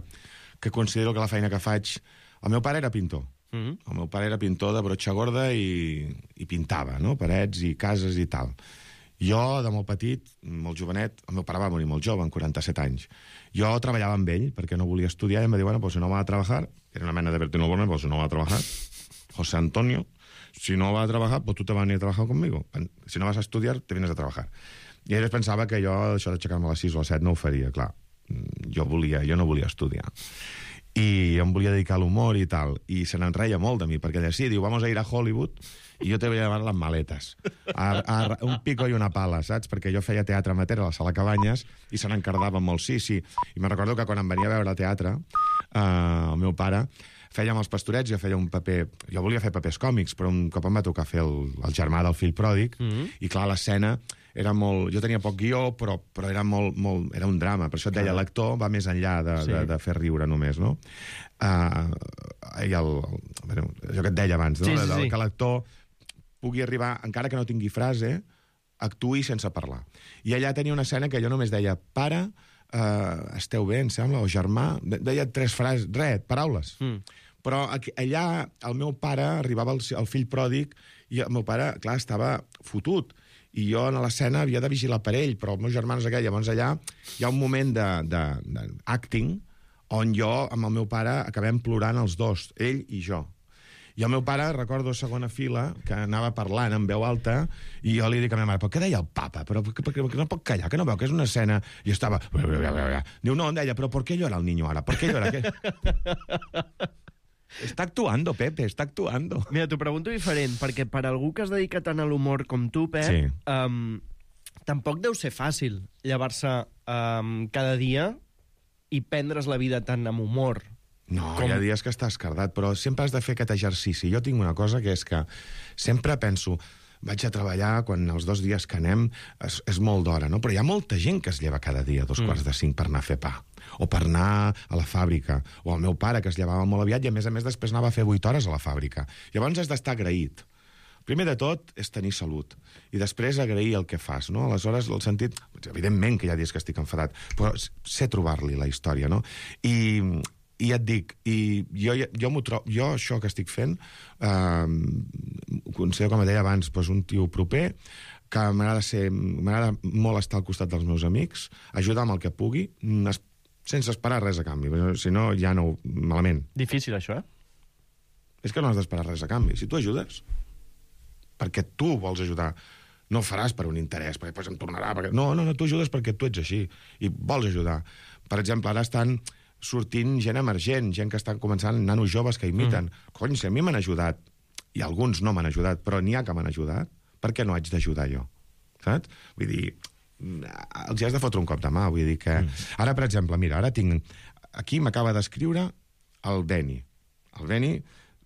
que considero que la feina que faig... El meu pare era pintor. Mm-hmm. El meu pare era pintor de brotxa gorda i, i pintava, no? Parets i cases i tal. Jo, de molt petit, molt jovenet, el meu pare va morir molt jove, amb quaranta-set anys. Jo treballava amb ell, perquè no volia estudiar, i em va dir, bueno, pues si no va a trabajar, era una mena de Bertino Borne, pues si no va a trabajar, José Antonio, si no va a trabajar, pues tú te vas a venir a trabajar conmigo. Si no vas a estudiar, te vienes a trabajar. I ell pensava que jo, això d'aixecar-me a les sis o a les set, no ho faria, clar. Jo volia, jo no volia estudiar. i em volia dedicar a l'humor i tal, i se n'enreia molt de mi, perquè ella sí, diu, vamos a ir a Hollywood, i jo te voy a llevar las maletes, a, a, un pico i una pala, saps? Perquè jo feia teatre amateur a la Sala Cabanyes i se n'encardava molt, sí, sí. I me'n recordo que quan em venia a veure teatre, eh, el meu pare, fèiem els Pastorets, jo feia un paper... Jo volia fer papers còmics, però un cop em va tocar fer el, el germà del fill pròdig, mm-hmm. i clar, l'escena era molt... Jo tenia poc guió, però, però era molt, molt... Era un drama, per això et deia, l'actor va més enllà de, sí. de, de fer riure només, no? Uh, i el, el, això que et deia abans, no? Sí, sí, sí. Que l'actor pugui arribar, encara que no tingui frase, actuï sense parlar. I allà tenia una escena que jo només deia, pare, uh, esteu bé, em sembla, o germà, deia tres frases, res, paraules. Mm. Però allà el meu pare arribava el, el fill pròdig i el meu pare, clar, estava fotut. I jo en l'escena havia de vigilar per ell, però els meus germans aquell, llavors allà hi ha un moment d'acting on jo amb el meu pare acabem plorant els dos, ell i jo. I el meu pare, recordo segona fila, que anava parlant en veu alta, i jo li dic a la meva mare, però què deia el papa? Però que, que, que no pot callar, que no veu que és una escena... I estava... Diu, no, em deia, però ¿por qué llora el niño ara? ¿Por qué llora? ¿Qué? Està actuando, Pepe, està actuando. Mira, t'ho pregunto diferent, perquè per algú que es dedica tant a l'humor com tu, Pep, sí. um, tampoc deu ser fàcil llevar-se um, cada dia i prendre's la vida tant amb humor. No, com... hi ha dies que estàs cardat, però sempre has de fer aquest exercici. Jo tinc una cosa que és que sempre penso, vaig a treballar quan els dos dies que anem és, és molt d'hora, no? Però hi ha molta gent que es lleva cada dia a dos mm. quarts de cinc per anar a fer pa, o per anar a la fàbrica, o el meu pare, que es llevava molt aviat, i a més a més després anava a fer vuit hores a la fàbrica. Llavors has d'estar agraït. Primer de tot és tenir salut, i després agrair el que fas, no? Aleshores, el sentit... Evidentment que hi ha dies que estic enfadat, però sé trobar-li la història, no? I... I ja et dic, i jo, jo, trobo, jo això que estic fent, eh, considero, com et deia abans, doncs un tio proper, que m'agrada ser, m'agrada molt estar al costat dels meus amics, ajudar amb el que pugui, es, sense esperar res a canvi, si no ja no, malament. Difícil, això, eh? És que no has d'esperar res a canvi. Si tu ajudes, perquè tu vols ajudar, no ho faràs per un interès, perquè després em tornarà... Perquè... No, no, no, tu ajudes perquè tu ets així, i vols ajudar. Per exemple, ara estan... sortint gent emergent, gent que estan començant, nanos joves que imiten. Mm. Cony, si a mi m'han ajudat, i alguns no m'han ajudat, però n'hi ha que m'han ajudat, per què no haig d'ajudar jo? Saps? Vull dir, els has de fotre un cop de mà, vull dir que... Mm. Ara, per exemple, mira, ara tinc... Aquí m'acaba d'escriure el Beni. El Beni,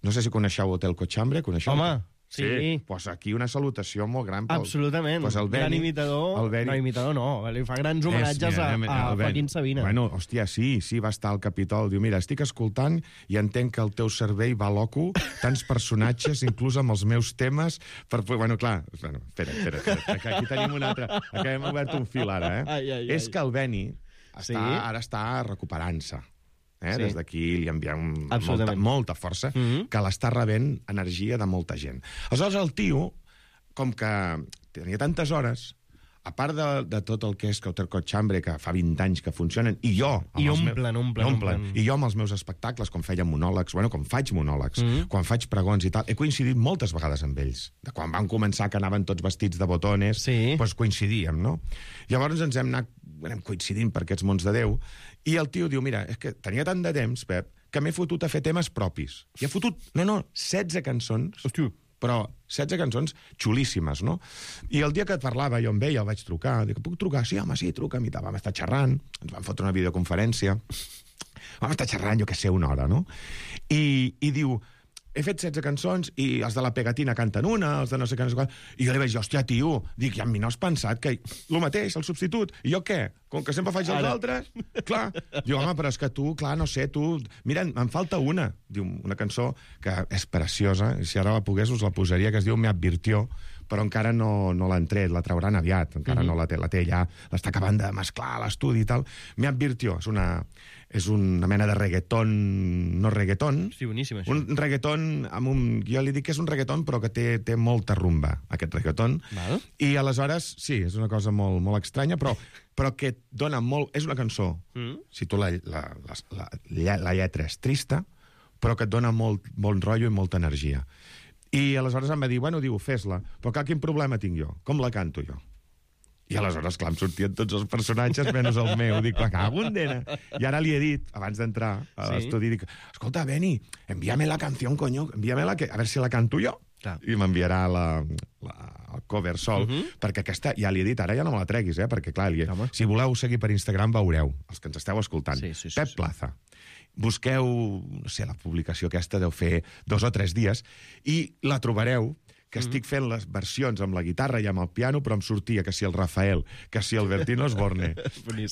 no sé si coneixeu Hotel Cochambre, coneixeu? Home, sí. Sí, pues aquí una salutació molt gran. Pel... Absolutament. Pues el Beni, gran imitador. El Beni... No, imitador no. Li fa grans homenatges a, a Joaquín Sabina. Bueno, hòstia, sí, sí, va estar al Capitol. Diu, mira, estic escoltant i entenc que el teu cervell va loco, tants personatges, inclús amb els meus temes, per... Bueno, clar, bueno, espera, espera, espera, que aquí tenim un altre... Aquí hem obert un fil ara, eh? Ai, ai, ai. És que el Beni està, sí? ara està recuperant-se. Eh? Sí. Des d'aquí li enviem molta, molta força, mm-hmm. que l'està rebent energia de molta gent. Aleshores, el tio, com que tenia tantes hores, a part de, de tot el que és Hotel Cochambre, que fa vint anys que funcionen, i jo... I omplen, meus, omplen, omplen. I jo amb els meus espectacles, com feia monòlegs, bueno, com faig monòlegs, mm-hmm. quan faig pregons i tal, he coincidit moltes vegades amb ells. De quan van començar, que anaven tots vestits de botones, sí. doncs coincidíem, no? Llavors ens hem anat anem coincidint per aquests mons de Déu, i el tio diu, mira, és que tenia tant de temps, Pep, que m'he fotut a fer temes propis. I he fotut, no, no, setze cançons, hòstia, però setze cançons xulíssimes, no? I el dia que et parlava, jo amb ell, el vaig trucar, dic, puc trucar? Sí, home, sí, truca'm, i tal. Vam estar xerrant, ens vam fotre una videoconferència, vam estar xerrant, jo què sé, una hora, no? I, i diu, he fet setze cançons i els de la pegatina canten una, els de no sé què, no sé què. I jo li vaig dir, hòstia, tio, dic, i amb mi no has pensat que el mateix, el substitut, i jo què? Com que sempre faig els altres? Clar. Diu, home, però és que tu, clar, no sé, tu... Mira, em falta una. Diu, una cançó que és preciosa, i si ara la pogués us la posaria, que es diu Me advirtió, però encara no, no l'han tret, la trauran aviat, encara mm-hmm. no la té, la té ja, l'està acabant de mesclar a l'estudi i tal. Me advirtió, és una... és una mena de reggaeton, no reggaeton. Sí, boníssim, això. Un reggaeton amb un... Jo li dic que és un reggaeton, però que té, té molta rumba, aquest reggaeton. Val. I aleshores, sí, és una cosa molt, molt estranya, però, però que dona molt... És una cançó, mm. si tu la, la, la, la, la lletra és trista, però que et dona molt bon rotllo i molta energia. I aleshores em va dir, bueno, diu, fes-la, però clar, quin problema tinc jo? Com la canto jo? I aleshores, clar, em sortien tots els personatges menys el meu. Dic, la cago en dena. I ara li he dit, abans d'entrar a Sí. l'estudi, dic, escolta, Beni, envíame la canción, coño, envíame-la, que, a veure si la canto jo. Clar. I m'enviarà la, la, el cover sol, Mhm. uh -huh. perquè aquesta, ja li he dit, ara ja no me la treguis, eh? perquè clar, li, si voleu seguir per Instagram veureu, els que ens esteu escoltant, Sí, sí, sí, Pep sí. Plaza. Busqueu, no sé, la publicació aquesta deu fer dos o tres dies, i la trobareu, que estic fent les versions amb la guitarra i amb el piano, però em sortia que si el Rafael, que si el Bertino Osborne.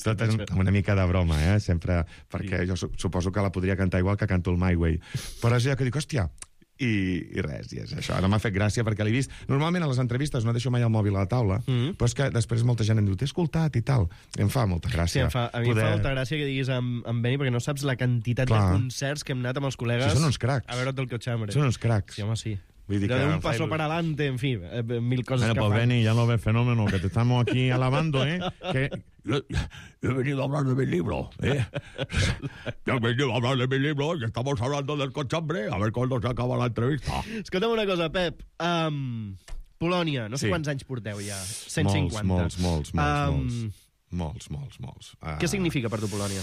Tot és amb una mica de broma, eh? Sempre, perquè jo su- suposo que la podria cantar igual que canto el My Way. Però és allò que dic, hòstia, i, i res, i és això. Ara m'ha fet gràcia perquè l'he vist. Normalment a les entrevistes no deixo mai el mòbil a la taula, mm -hmm. però és que després molta gent em diu, t'he escoltat i tal. I em fa molta gràcia. Sí, em fa, a mi poder... em fa molta gràcia que diguis amb, amb Beni, perquè no saps la quantitat Clar. de concerts que hem anat amb els col·legues Sí, són uns cracs. a veure't el Cochambre. Són uns cracs. Sí, home, sí. Vull dir De que un em fa paso il·lusió. para adelante, en fi, eh, mil coses Bueno, que pues fan. Beni, ya lo ves, fenómeno, que te estamos aquí alabando, ¿eh? Que yo, yo he venido a hablar de mi libro, ¿eh? Yo he venido a hablar de mi libro y estamos hablando del Cochambre, a ver cuándo se acaba la entrevista. Escolta'm una cosa, Pep. Um, Polònia, no sé Sí. quants anys porteu ja? cent cinquanta. Molts, molts, molts, molts, Um, molts. Molts, molts, molts. Uh, Què significa per tu Polònia?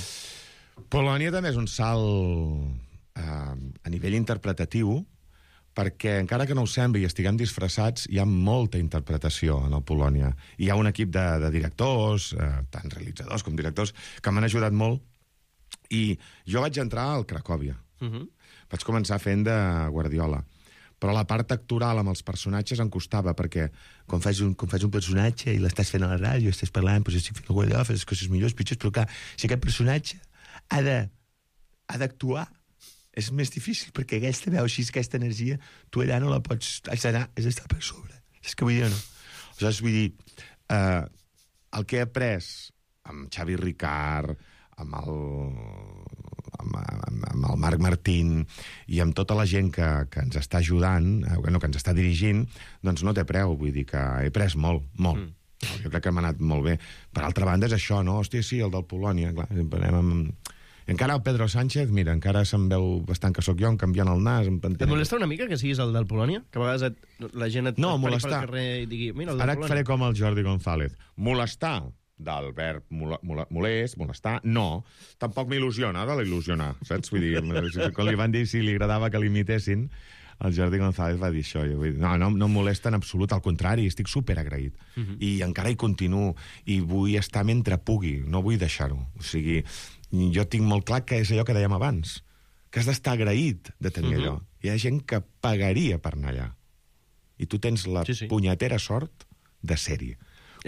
Polònia també és un salt uh, a nivell interpretatiu, perquè encara que no ho sembli i estiguem disfressats, hi ha molta interpretació en el Polònia. Hi ha un equip de, de directors, eh, tant realitzadors com directors, que m'han ajudat molt, i jo vaig entrar al Cracòvia. Uh -huh. Vaig començar fent de Guardiola. Però la part actoral amb els personatges em costava, perquè quan fas un, quan fas un personatge i l'estàs fent a la ràdio, estàs parlant, doncs estic fent el Guardiola, fas les coses millors, pitjors, però clar, si aquest personatge ha de ha d'actuar, és més difícil, perquè aquesta veu així, aquesta energia, tu allà no la pots... Has d'anar, has d'estar per sobre. És que vull dir, no? Aleshores, vull dir, eh, el que he après amb Xavi Ricard, amb el, amb, amb, amb el Marc Martín i amb tota la gent que, que ens està ajudant, eh, no, que ens està dirigint, doncs no té preu, vull dir que he après molt, molt. Mm. Jo crec que m'ha anat molt bé. Per altra banda és això, no? Hòstia, sí, el del Polònia, clar, sempre anem amb... Encara el Pedro Sánchez, mira, encara se'm veu bastant que sóc jo, em canviant el nas, em Et penteno. molesta una mica que siguis el del Polònia? Que a vegades et, la gent et, No, et pari molestar. pel carrer i digui, mira, el del Ara et Polònia. faré com el Jordi González. Molestar, del verb mola, mola, molest, molestar, no. Tampoc m'il·lusiona, de l'il·lusionar, saps? Vull dir, quan li van dir si li agradava que l'imitessin, el Jordi González va dir això. Jo vull dir, no, no, no em molesta en absolut, al contrari, estic superagraït. Uh -huh. I encara hi continuo, i vull estar mentre pugui, no vull deixar-ho. O sigui, jo tinc molt clar que és allò que dèiem abans, que has d'estar agraït de tenir uh -huh. allò. Hi ha gent que pagaria per anar allà. I tu tens la sí, sí. punyetera sort de ser-hi.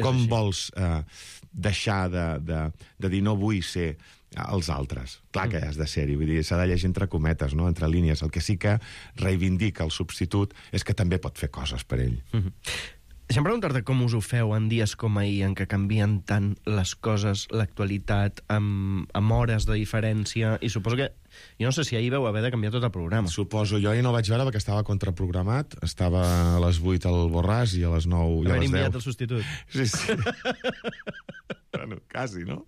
Com així. Vols eh, deixar de, de, de dir no vull ser els altres? Clar que has de ser-hi, vull dir, s'ha de llegir entre cometes, no? Entre línies. El que sí que reivindica el substitut és que també pot fer coses per ell. Uh -huh. Deixa'm preguntar-te com us ho feu en dies com ahir, en què canvien tant les coses, l'actualitat, amb, amb hores de diferència, i suposo que... Jo no sé si ahir vau haver de canviar tot el programa. Suposo. Jo ahir no vaig veure perquè estava contraprogramat. Estava a les vuit al Borràs i a les nou i a les deu. Haver enviat el substitut. Sí, sí. Bueno, quasi, no?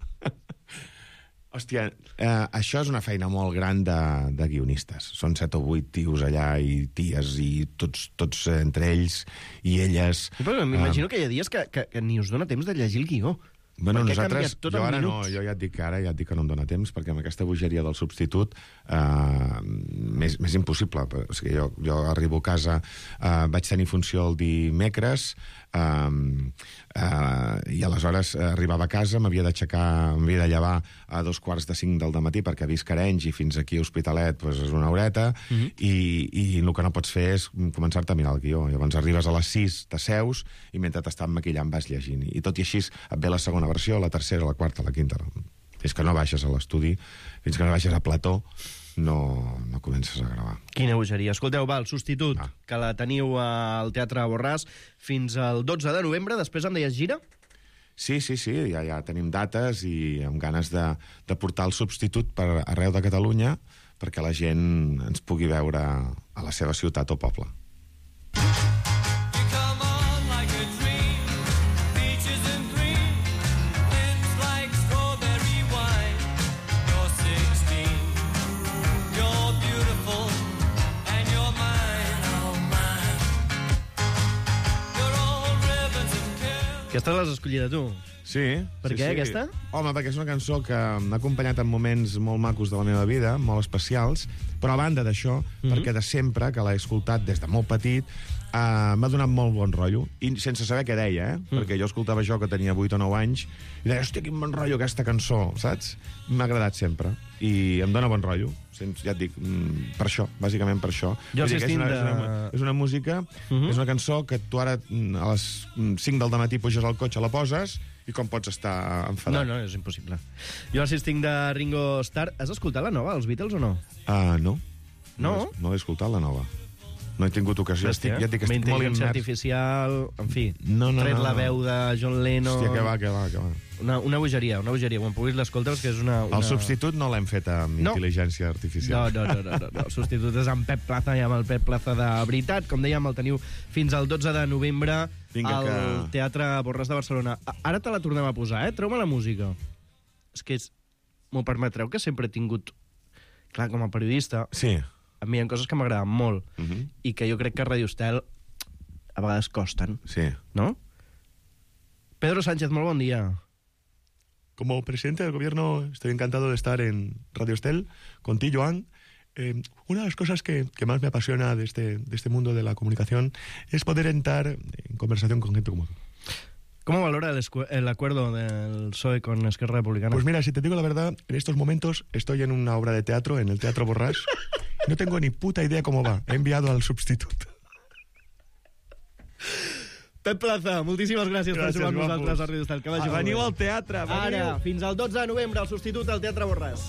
Hòstia, eh, això és una feina molt gran de, de guionistes. Són set o vuit tios allà i ties i tots, tots eh, entre ells i elles. Però m'imagino eh, que hi ha dies que, que, que ni us dona temps de llegir el guió. Bueno, perquè nosaltres, tot jo ara minuts. no, jo ja et dic que ara ja et dic que no em dóna temps, perquè amb aquesta bogeria del substitut eh, més, més impossible. O sigui, jo, jo arribo a casa, eh, vaig tenir funció el dimecres, eh, eh, i aleshores eh, arribava a casa, m'havia d'aixecar, m'havia de llevar a dos quarts de cinc del dematí, perquè visc a Arenys i fins aquí a Hospitalet pues, és una horeta, uh -huh. i, i el que no pots fer és començar-te a mirar el guió. Llavors arribes a les sis, t'asseus, i mentre t'estan maquillant vas llegint. I tot i així et ve la segona versió, la tercera, la quarta, la quinta. Fins que no baixes a l'estudi, fins que no baixes a plató, no, no comences a gravar. Quina bogeria. Escolteu, va, el substitut, ah. que la teniu al Teatre Borràs fins al dotze de novembre, després em deies gira? Sí, sí, sí, ja, ja tenim dates i amb ganes de, de portar el substitut per arreu de Catalunya perquè la gent ens pugui veure a la seva ciutat o poble. Aquesta l'has escollida tu. Sí. Per sí, què, sí. aquesta? Home, perquè és una cançó que m'ha acompanyat en moments molt macos de la meva vida, molt especials, però a banda d'això, mm-hmm. perquè de sempre, que l'he escoltat des de molt petit, uh, m'ha donat molt bon rotllo, i sense saber què deia, eh? Mm. Perquè jo escoltava això que tenia vuit o nou anys, i deia, hòstia, quin bon rotllo aquesta cançó, saps? M'ha agradat sempre, i em dona bon rotllo. Ja et dic, per això, bàsicament per això. Jo és, assistint una, de... és, una, és una música, uh-huh. és una cançó que tu ara a les cinc del dematí puges al cotxe, la poses, i com pots estar enfadat? No, no, és impossible. Jo assisting de Ringo Starr... Has escoltat la nova, els Beatles, o no? Uh, no. No? No, no he escoltat la nova. No he tingut ocasió. Hòstia, estic, ja et dic, estic molt intel·ligència immers. artificial, en fi, no, no, tret no, la no. veu de John Lennon... Hòstia, que va, que va, que va. Una, una bogeria, una bogeria. Quan puguis l'escoltes, que és una, una... El substitut no l'hem fet amb no. intel·ligència artificial. No, no, no, no, no, no. El substitut és amb Pep Plaza i amb el Pep Plaza de veritat. Com dèiem, el teniu fins al dotze de novembre Vinga, al que... Teatre Borràs de Barcelona. Ara te la tornem a posar, eh? Treu-me la música. És que és... m'ho permetreu que sempre he tingut... Clar, com a periodista... Sí. A mi hi ha coses que m'agraden molt uh-huh. i que jo crec que a Radio Estel a vegades costen. Sí. ¿No? Pedro Sánchez, molt bon dia. Como presidente del gobierno estoy encantado de estar en Radio Estel contigo, Joan. Eh, una de las cosas que, que más me apasiona de este, de este mundo de la comunicación es poder entrar en conversación con gente como tú. ¿Cómo valora el, el acuerdo del P S O E con Esquerra Republicana? Pues mira, si te digo la verdad, en estos momentos estoy en una obra de teatro, en el Teatro Borràs. No tengo ni puta idea cómo va. He enviado al sustituto. Pep Plaza, moltíssimes gràcies, gràcies per jugar amb nosaltres a Radio Estel. Que vagi Veniu molt al teatre, veniu. Ara, fins al dotze de novembre, el substitut al Teatre Borràs.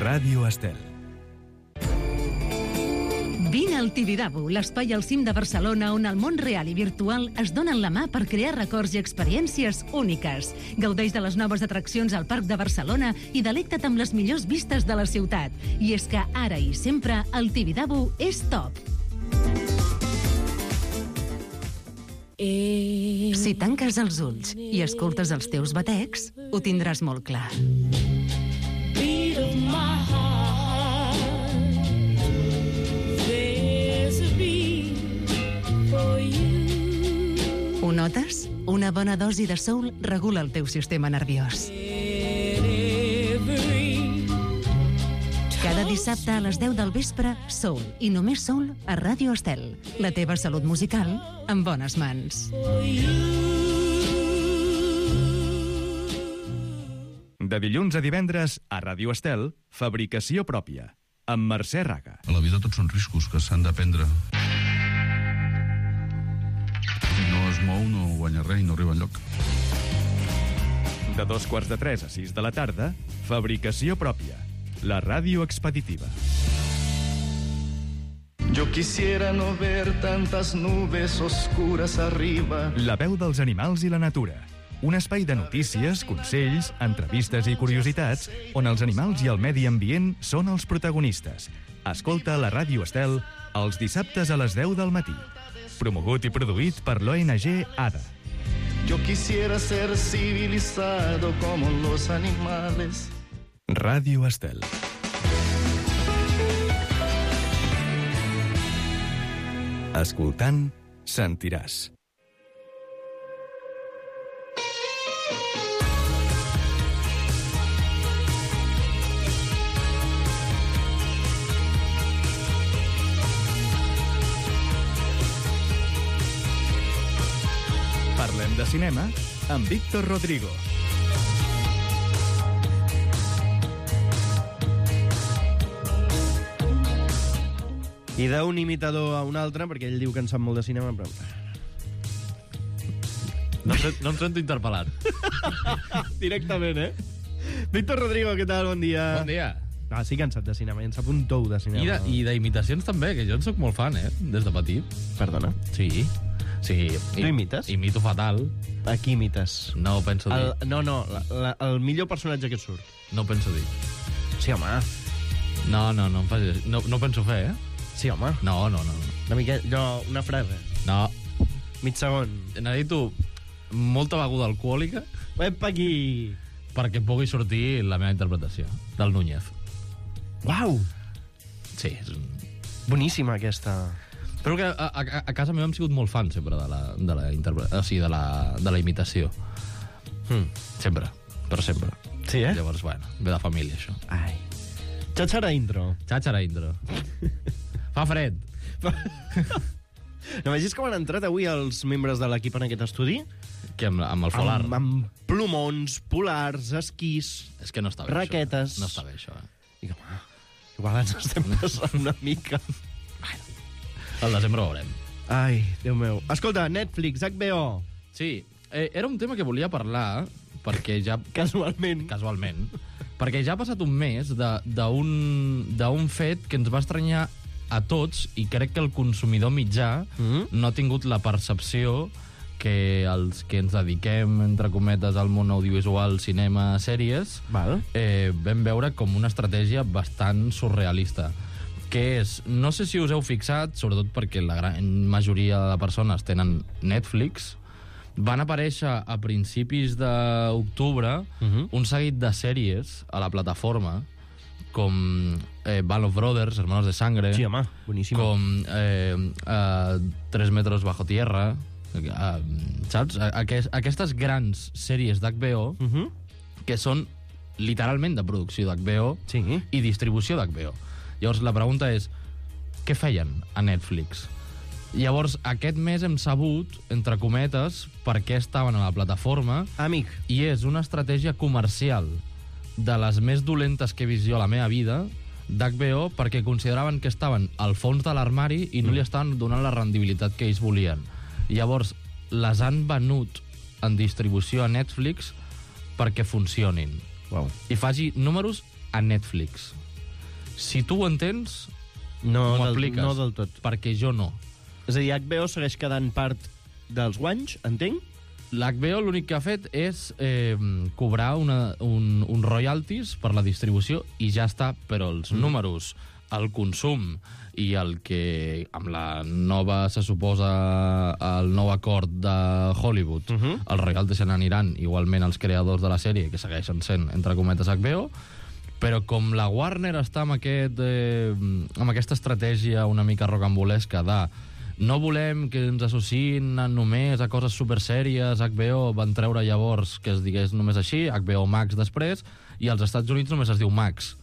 Ràdio Estel. Vine al Tibidabo, l'espai al cim de Barcelona on el món real i virtual es donen la mà per crear records i experiències úniques. Gaudeix de les noves atraccions al Parc de Barcelona i delecta't amb les millors vistes de la ciutat. I és que ara i sempre el Tibidabo és top. Si tanques els ulls i escoltes els teus batecs, ho tindràs molt clar. Ho notes? Una bona dosi de soul regula el teu sistema nerviós. Cada dissabte a les deu del vespre, Soul, i només Soul a Ràdio Estel. La teva salut musical en bones mans. De dilluns a divendres, a Ràdio Estel, fabricació pròpia, amb Mercè Raga. A la vida tots són riscos que s'han de prendre. Si no es mou, no guanya res i no arriba enlloc. De dos quarts de tres a sis de la tarda, fabricació pròpia, la ràdio expeditiva. Yo quisiera no ver tantas nubes oscuras arriba. La veu dels animals i la natura. Un espai de notícies, consells, entrevistes i curiositats on els animals i el medi ambient són els protagonistes. Escolta la Ràdio Estel els dissabtes a les deu del matí. Promogut i produït per l'O N G ADA. Yo quisiera ser civilizado como los animales. Ràdio Estel. Escoltant, sentiràs. Parlem de de cinema amb Víctor Rodrigo. I d'un imitador a un altre, perquè ell diu que en sap molt de cinema, però... No, no em sento interpel·lat. Directament, eh? Víctor Rodrigo, què tal? Bon dia. Bon dia. Ah, sí que en sap de cinema, i en sap un tou de cinema. I de- I d'imitacions també, que jo en sóc molt fan, eh? Des de petit. Perdona? Sí. Sí. Tu imites? Imito fatal. A qui imites? No ho penso dir. El, no, no, la, la, el millor personatge que et surt. No ho penso dir. Sí, home. No, no, no em facis... No, no ho penso fer, eh? Sí, home. No, no, no. Una mica... No, una frase. No. Mig segon. Necessito molta beguda alcohòlica... Epa, aquí! Perquè pugui sortir la meva interpretació del Núñez. Uau! Sí, és un... Boníssima, aquesta. Però que a, a, a casa meva hem sigut molt fans sempre de la, de la, interpre... o sigui, de la, de la imitació. Hmm. Sempre. Per sempre. Sí, eh? Llavors, bueno, ve de família, això. Ai. Xatxara intro. Xatxara intro. Fa fred. No vegis com han entrat avui els membres de l'equip en aquest estudi? Que amb, amb el folar. Amb, amb plomons, polars, esquís... És que no està bé, raquetes. això. No està bé, això, eh? I com, ah, igual ens estem passant una mica. Al desembre ho veurem. Ai, Déu meu. Escolta, Netflix, H B O. Sí, eh, era un tema que volia parlar, perquè ja... Casualment. Casualment. Perquè ja ha passat un mes d'un fet que ens va estranyar a tots, i crec que el consumidor mitjà mm-hmm. no ha tingut la percepció que els que ens dediquem, entre cometes, al món audiovisual, cinema, sèries, Val. Eh, vam veure com una estratègia bastant surrealista. Que és, no sé si us heu fixat, sobretot perquè la gran majoria de persones tenen Netflix, van aparèixer a principis d'octubre Mhm. un seguit de sèries a la plataforma, com eh, Band of Brothers, Hermanos de Sangre, Sí, home, boníssima. com eh, eh, Tres metros bajo tierra, eh, saps? Aquest, aquestes grans sèries d'H B O Mhm. que són literalment de producció d'H B O Sí. i distribució d'H B O. Llavors, la pregunta és, què feien a Netflix? Llavors, aquest mes hem sabut, entre cometes, per què estaven a la plataforma. Amic. I és una estratègia comercial de les més dolentes que he vist jo a la meva vida, d'H B O, perquè consideraven que estaven al fons de l'armari i no li estaven donant la rendibilitat que ells volien. Llavors, les han venut en distribució a Netflix perquè funcionin. Wow. I faci números a Netflix. Si tu ho entens, No m'ho del- apliques. no del tot. Perquè jo no. És a dir, H B O segueix quedant part dels guanys, entenc? L'H B O l'únic que ha fet és eh, cobrar una, un, un royalties per la distribució i ja està, però els mm. números, el consum i el que amb la nova, se suposa, el nou acord de Hollywood, uh -huh. els royalties se n'aniran igualment als creadors de la sèrie, que segueixen sent, entre cometes, H B O, però com la Warner està amb, aquest, eh, amb aquesta estratègia una mica rocambolesca de no volem que ens associïn només a coses supersèries, H B O van treure llavors que es digués només així, H B O Max després, i als Estats Units només es diu Max,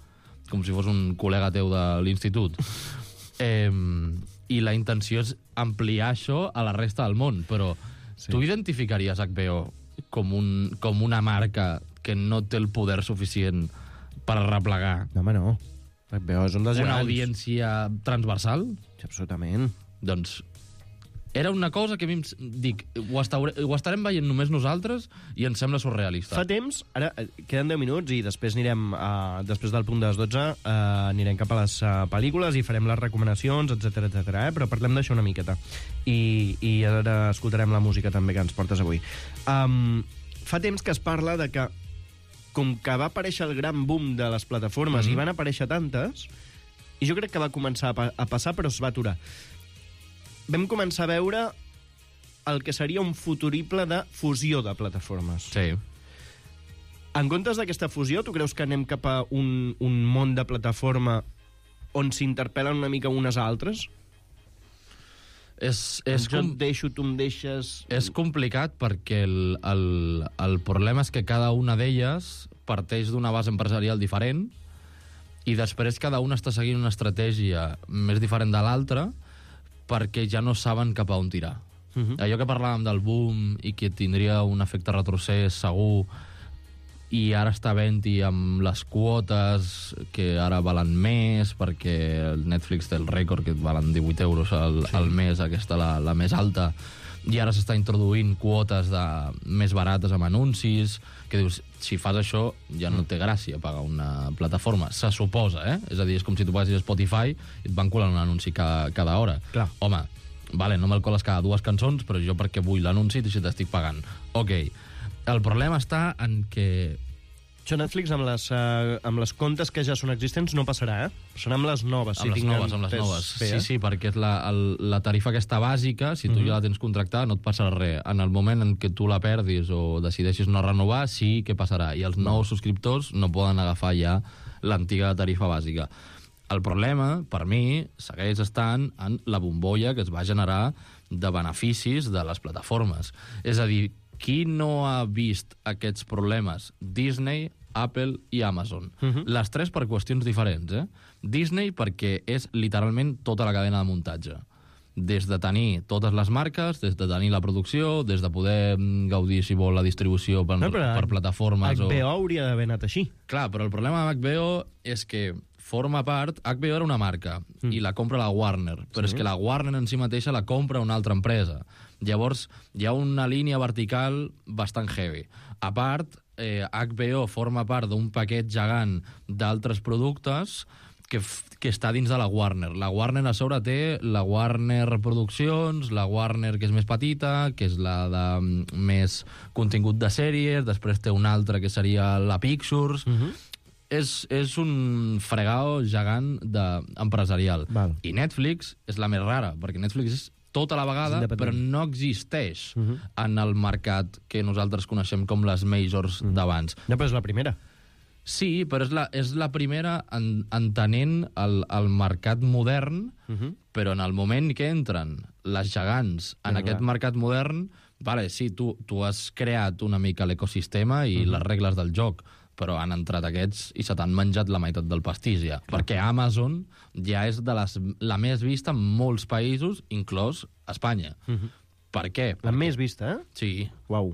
com si fos un col·lega teu de l'institut. Eh, I la intenció és ampliar això a la resta del món, però sí. Tu identificaries H B O com, un, com una marca que no té el poder suficient per arreplegar No, home, no. H B O és un dels una gegants. audiència transversal? Sí, absolutament. Doncs era una cosa que a mi em... Dic, ho, estaure, ho estarem veient només nosaltres i ens sembla surrealista. Fa temps, ara eh, queden deu minuts i després anirem, uh, després del punt de les dotze, uh, anirem cap a les uh, pel·lícules i farem les recomanacions, etcètera, etcètera. Eh? Però parlem d'això una miqueta. I, I ara escoltarem la música també que ens portes avui. Um, fa temps que es parla de que com que va aparèixer el gran boom de les plataformes mm-hmm. i van aparèixer tantes, i jo crec que va començar a, pa a passar però es va aturar. Vam començar a veure el que seria un futurible de fusió de plataformes. Sí. En comptes d'aquesta fusió, tu creus que anem cap a un, un món de plataforma on s'interpel·len una mica unes a altres? És, és jo com... et deixo, tu em deixes... És complicat perquè el, el, el problema és que cada una d'elles parteix d'una base empresarial diferent i després cada una està seguint una estratègia més diferent de l'altra perquè ja no saben cap a on tirar. Uh-huh. Allò que parlàvem del boom i que tindria un efecte retrocés segur, i ara està havent-hi amb les quotes que ara valen més, perquè el Netflix té el rècord que valen divuit euros al, sí. al mes, aquesta la, la més alta, i ara s'està introduint quotes de, més barates amb anuncis, que dius, si fas això ja no té gràcia pagar una plataforma, se suposa, eh? És a dir, és com si tu paguessis Spotify i et van colant un anunci cada, cada hora. Clar. Home, vale, no me'l coles cada dues cançons, però jo perquè vull l'anunci si t'estic pagant. Ok, el problema està en que... Això Netflix amb les, uh, amb les comptes que ja són existents no passarà, eh? Serà amb les noves. Amb si les noves, amb les noves. Sí, sí, perquè és la, el, la tarifa aquesta bàsica, si tu uh-huh. ja la tens contractada, no et passarà res. En el moment en què tu la perdis o decideixis no renovar, sí que passarà. I els nous subscriptors no poden agafar ja l'antiga tarifa bàsica. El problema, per mi, segueix estant en la bombolla que es va generar de beneficis de les plataformes. És a dir, qui no ha vist aquests problemes? Disney, Apple i Amazon. Uh-huh. Les tres per qüestions diferents, eh? Disney perquè és literalment tota la cadena de muntatge. Des de tenir totes les marques, des de tenir la producció, des de poder gaudir, si vol, la distribució per, no, per plataformes... H B O o... hauria d'haver anat així. Clar, però el problema amb H B O és que forma part... H B O era una marca mm. i la compra la Warner, però sí. és que la Warner en si mateixa la compra una altra empresa. Llavors, hi ha una línia vertical bastant heavy. A part, eh, H B O forma part d'un paquet gegant d'altres productes que, que està dins de la Warner. La Warner a sobre té la Warner Produccions, la Warner que és més petita, que és la de més contingut de sèries, després té una altra que seria la Pictures... Uh-huh. És, és un fregao gegant de, empresarial. Val. I Netflix és la més rara, perquè Netflix és tota la vegada, però no existeix uh-huh. en el mercat que nosaltres coneixem com les majors uh-huh. d'abans. No, però és la primera. Sí, però és la, és la primera en, entenent el, el mercat modern, uh-huh. però en el moment que entren les gegants en no, aquest clar. mercat modern, vale, sí, tu, tu has creat una mica l'ecosistema i uh-huh. les regles del joc, però han entrat aquests i se t'han menjat la meitat del pastís ja. Clar. Perquè Amazon ja és de les, la més vista en molts països, inclòs Espanya. Uh-huh. Per què? La Perquè... més vista, eh? Sí. Uau.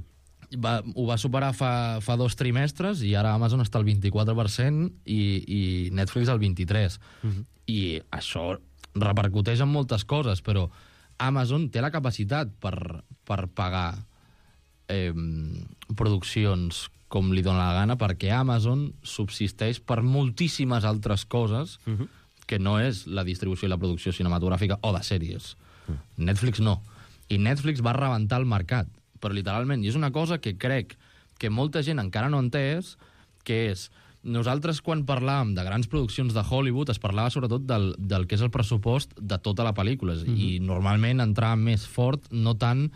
Va, ho va superar fa, fa dos trimestres i ara Amazon està al vint-i-quatre per cent i, i Netflix al vint-i-tres per cent. Uh-huh. I això repercuteix en moltes coses, però Amazon té la capacitat per, per pagar eh, produccions com li dóna la gana, perquè Amazon subsisteix per moltíssimes altres coses uh-huh. que no és la distribució i la producció cinematogràfica o de sèries. Uh-huh. Netflix no. I Netflix va rebentar el mercat, però literalment. I és una cosa que crec que molta gent encara no ha entès, que és... Nosaltres, quan parlàvem de grans produccions de Hollywood, es parlava sobretot del, del que és el pressupost de tota la pel·lícula. Uh-huh. I normalment entrava més fort, no tant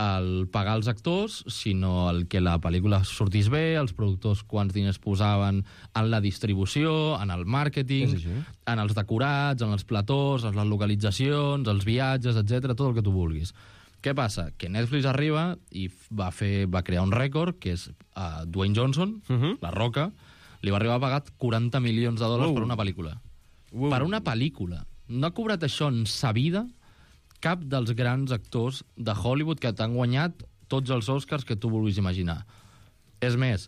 el pagar els actors, sinó el que la pel·lícula sortís bé, els productors quants diners posaven en la distribució, en el màrqueting, en els decorats, en els platós, en les localitzacions, els viatges, etcètera, tot el que tu vulguis. Què passa? Que Netflix arriba i va, fer, va crear un rècord, que és uh, Dwayne Johnson, uh-huh. La Roca, li va arribar a pagar quaranta milions de dòlars uh. per una pel·lícula. Uh. Per una pel·lícula. No ha cobrat això en sa vida cap dels grans actors de Hollywood que t'han guanyat tots els Oscars que tu vulguis imaginar. És més,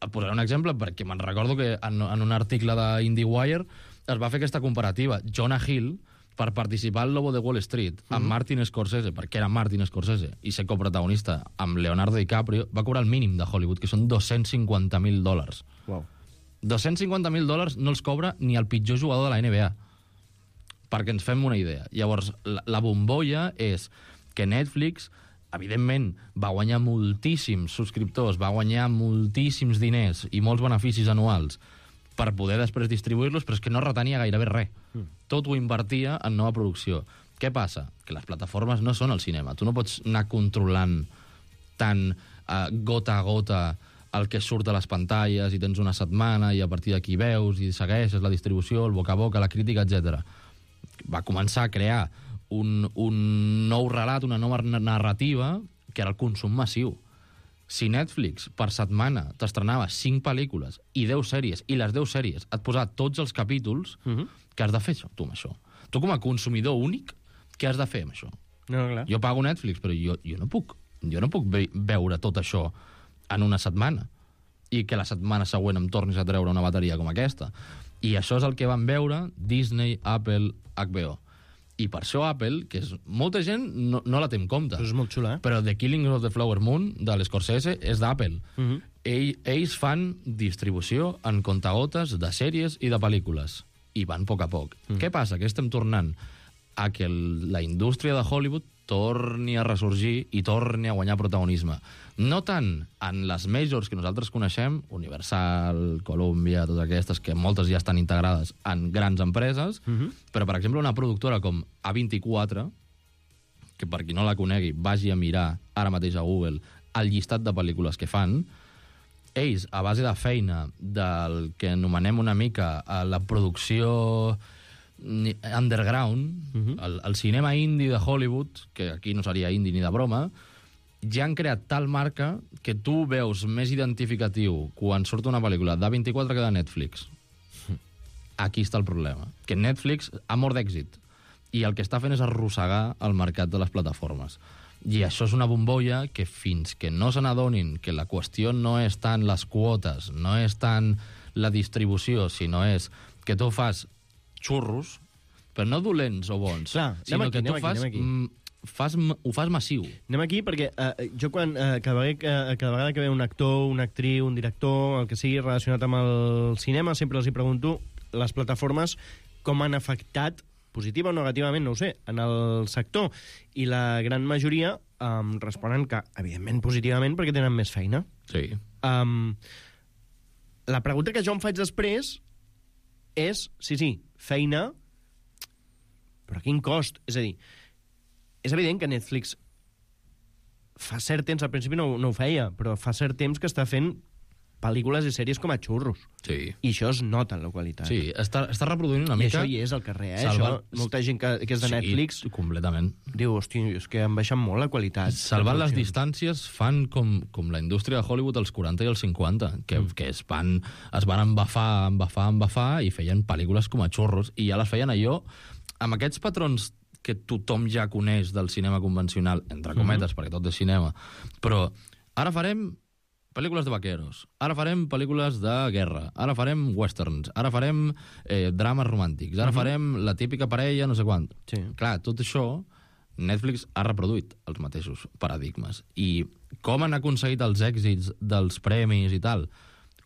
et posaré un exemple perquè me'n recordo que en, en un article d'IndieWire es va fer aquesta comparativa. Jonah Hill, per participar al Lobo de Wall Street amb mm-hmm. Martin Scorsese, perquè era Martin Scorsese, i ser coprotagonista amb Leonardo DiCaprio, va cobrar el mínim de Hollywood, que són dos-cents cinquanta mil dòlars. Wow. dos-cents cinquanta mil dòlars no els cobra ni el pitjor jugador de la N B A. Perquè ens fem una idea. Llavors, la, la bombolla és que Netflix, evidentment, va guanyar moltíssims subscriptors, va guanyar moltíssims diners i molts beneficis anuals per poder després distribuir-los, però és que no retenia gairebé res. Mm. Tot ho invertia en nova producció. Què passa? Que les plataformes no són el cinema. Tu no pots anar controlant tant uh, gota a gota el que surt a les pantalles i tens una setmana i a partir d'aquí veus i segueixes la distribució, el boca a boca, la crítica, etcètera. Va començar a crear un, un nou relat, una nova narrativa, que era el consum massiu. Si Netflix per setmana t'estrenava cinc pel·lícules i deu sèries, i les deu sèries et posava tots els capítols, uh-huh. què has de fer tu amb això? Tu com a consumidor únic, què has de fer amb això? No, clar. Jo pago Netflix, però jo, jo no puc, jo no puc ve veure tot això en una setmana i que la setmana següent em tornis a treure una bateria com aquesta. I això és el que van veure Disney, Apple, H B O. I per això Apple, que és, molta gent no, no la té en compte. Però és molt xula, eh? Però The Killing of the Flower Moon, de l'Scorsese, és d'Apple. Uh -huh. Ell, ells fan distribució en contagotes de sèries i de pel·lícules. I van a poc a poc. Uh -huh. Què passa? Que estem tornant a que el, la indústria de Hollywood torni a ressorgir i torni a guanyar protagonisme. No tant en les majors que nosaltres coneixem, Universal, Columbia, totes aquestes, que moltes ja estan integrades en grans empreses, uh-huh. però, per exemple, una productora com A vint-i-quatre, que per qui no la conegui, vagi a mirar ara mateix a Google el llistat de pel·lícules que fan, ells, a base de feina del que anomenem una mica la producció underground, uh-huh. el, el cinema indie de Hollywood, que aquí no seria indie ni de broma, ja han creat tal marca que tu veus més identificatiu quan surt una pel·lícula d'A vint-i-quatre que de Netflix. Aquí està el problema. Que Netflix ha mort d'èxit i el que està fent és arrossegar el mercat de les plataformes. I això és una bombolla que fins que no se n'adonin que la qüestió no és tant les quotes, no és tant la distribució, sinó és que tu fas xurros, però no dolents o bons, Clar, sinó aquí, que tu aquí, fas, fas, ho fas massiu. Anem aquí perquè eh, jo quan, eh, cada, vegada, eh, cada vegada que ve un actor, una actriu, un director, el que sigui relacionat amb el cinema, sempre els hi pregunto les plataformes com han afectat, positiva o negativament, no ho sé, en el sector. I la gran majoria um, responen que, evidentment, positivament, perquè tenen més feina. Sí. Um, la pregunta que jo em faig després és, sí, sí, feina, però a quin cost? És a dir, és evident que Netflix fa cert temps, al principi no, no ho feia, però fa cert temps que està fent pel·lícules i sèries com a xurros. Sí. I això es nota en la qualitat. Sí, està, està reproduint una I mica... I això hi és al carrer, eh? Salvar... Això, molta gent que, que és de sí, Netflix... completament. Diu, hosti, és que han baixat molt la qualitat. Salvant les distàncies fan com, com la indústria de Hollywood als quaranta i als cinquanta, que, mm. que es van, es van embafar, embafar, embafar, i feien pel·lícules com a xurros, i ja les feien allò amb aquests patrons que tothom ja coneix del cinema convencional, entre cometes, mm-hmm. perquè tot és cinema, però ara farem pel·lícules de vaqueros, ara farem pel·lícules de guerra, ara farem westerns, ara farem eh, drames romàntics, ara uh-huh. farem la típica parella, no sé quant. Sí. Clar, tot això, Netflix ha reproduït els mateixos paradigmes. I com han aconseguit els èxits dels premis i tal?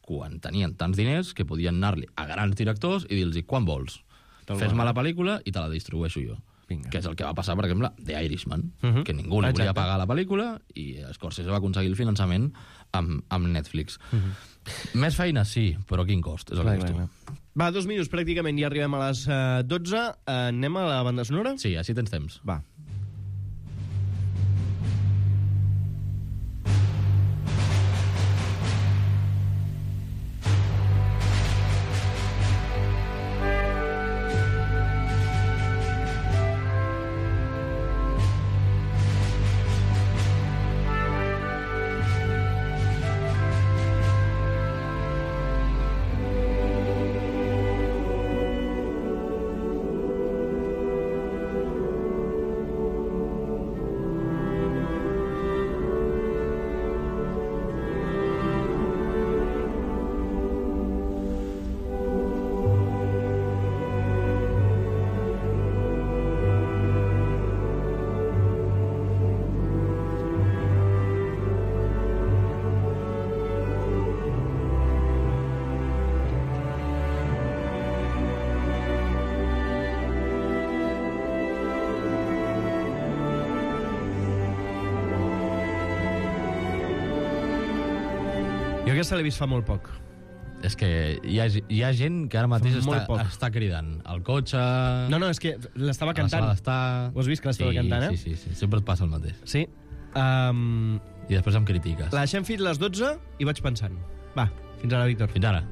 Quan tenien tants diners que podien anar-li a grans directors i dir-los, quan vols? Fes-me la pel·lícula i te la distribueixo jo. Vinga. Que és el que va passar, per exemple, The Irishman, uh-huh. que ningú li volia pagar la pel·lícula i Scorsese va aconseguir el finançament amb, amb Netflix. Uh-huh. Més feina, sí, però quin cost? És el clar, que clar, clar. Va, dos minuts pràcticament, ja arribem a les uh, dotze. Uh, anem a la banda sonora? Sí, així tens temps. Va. Jo aquesta l'he vist fa molt poc. És que hi ha, hi ha gent que ara mateix està, està cridant. Al cotxe... No, no, és que l'estava cantant. Ho has vist que l'estava sí, cantant, eh? Sí, sí, sí, sempre et passa el mateix. Sí. Um... I després em critiques. La deixem fins les dotze i vaig pensant. Va, fins ara, Víctor. Fins ara.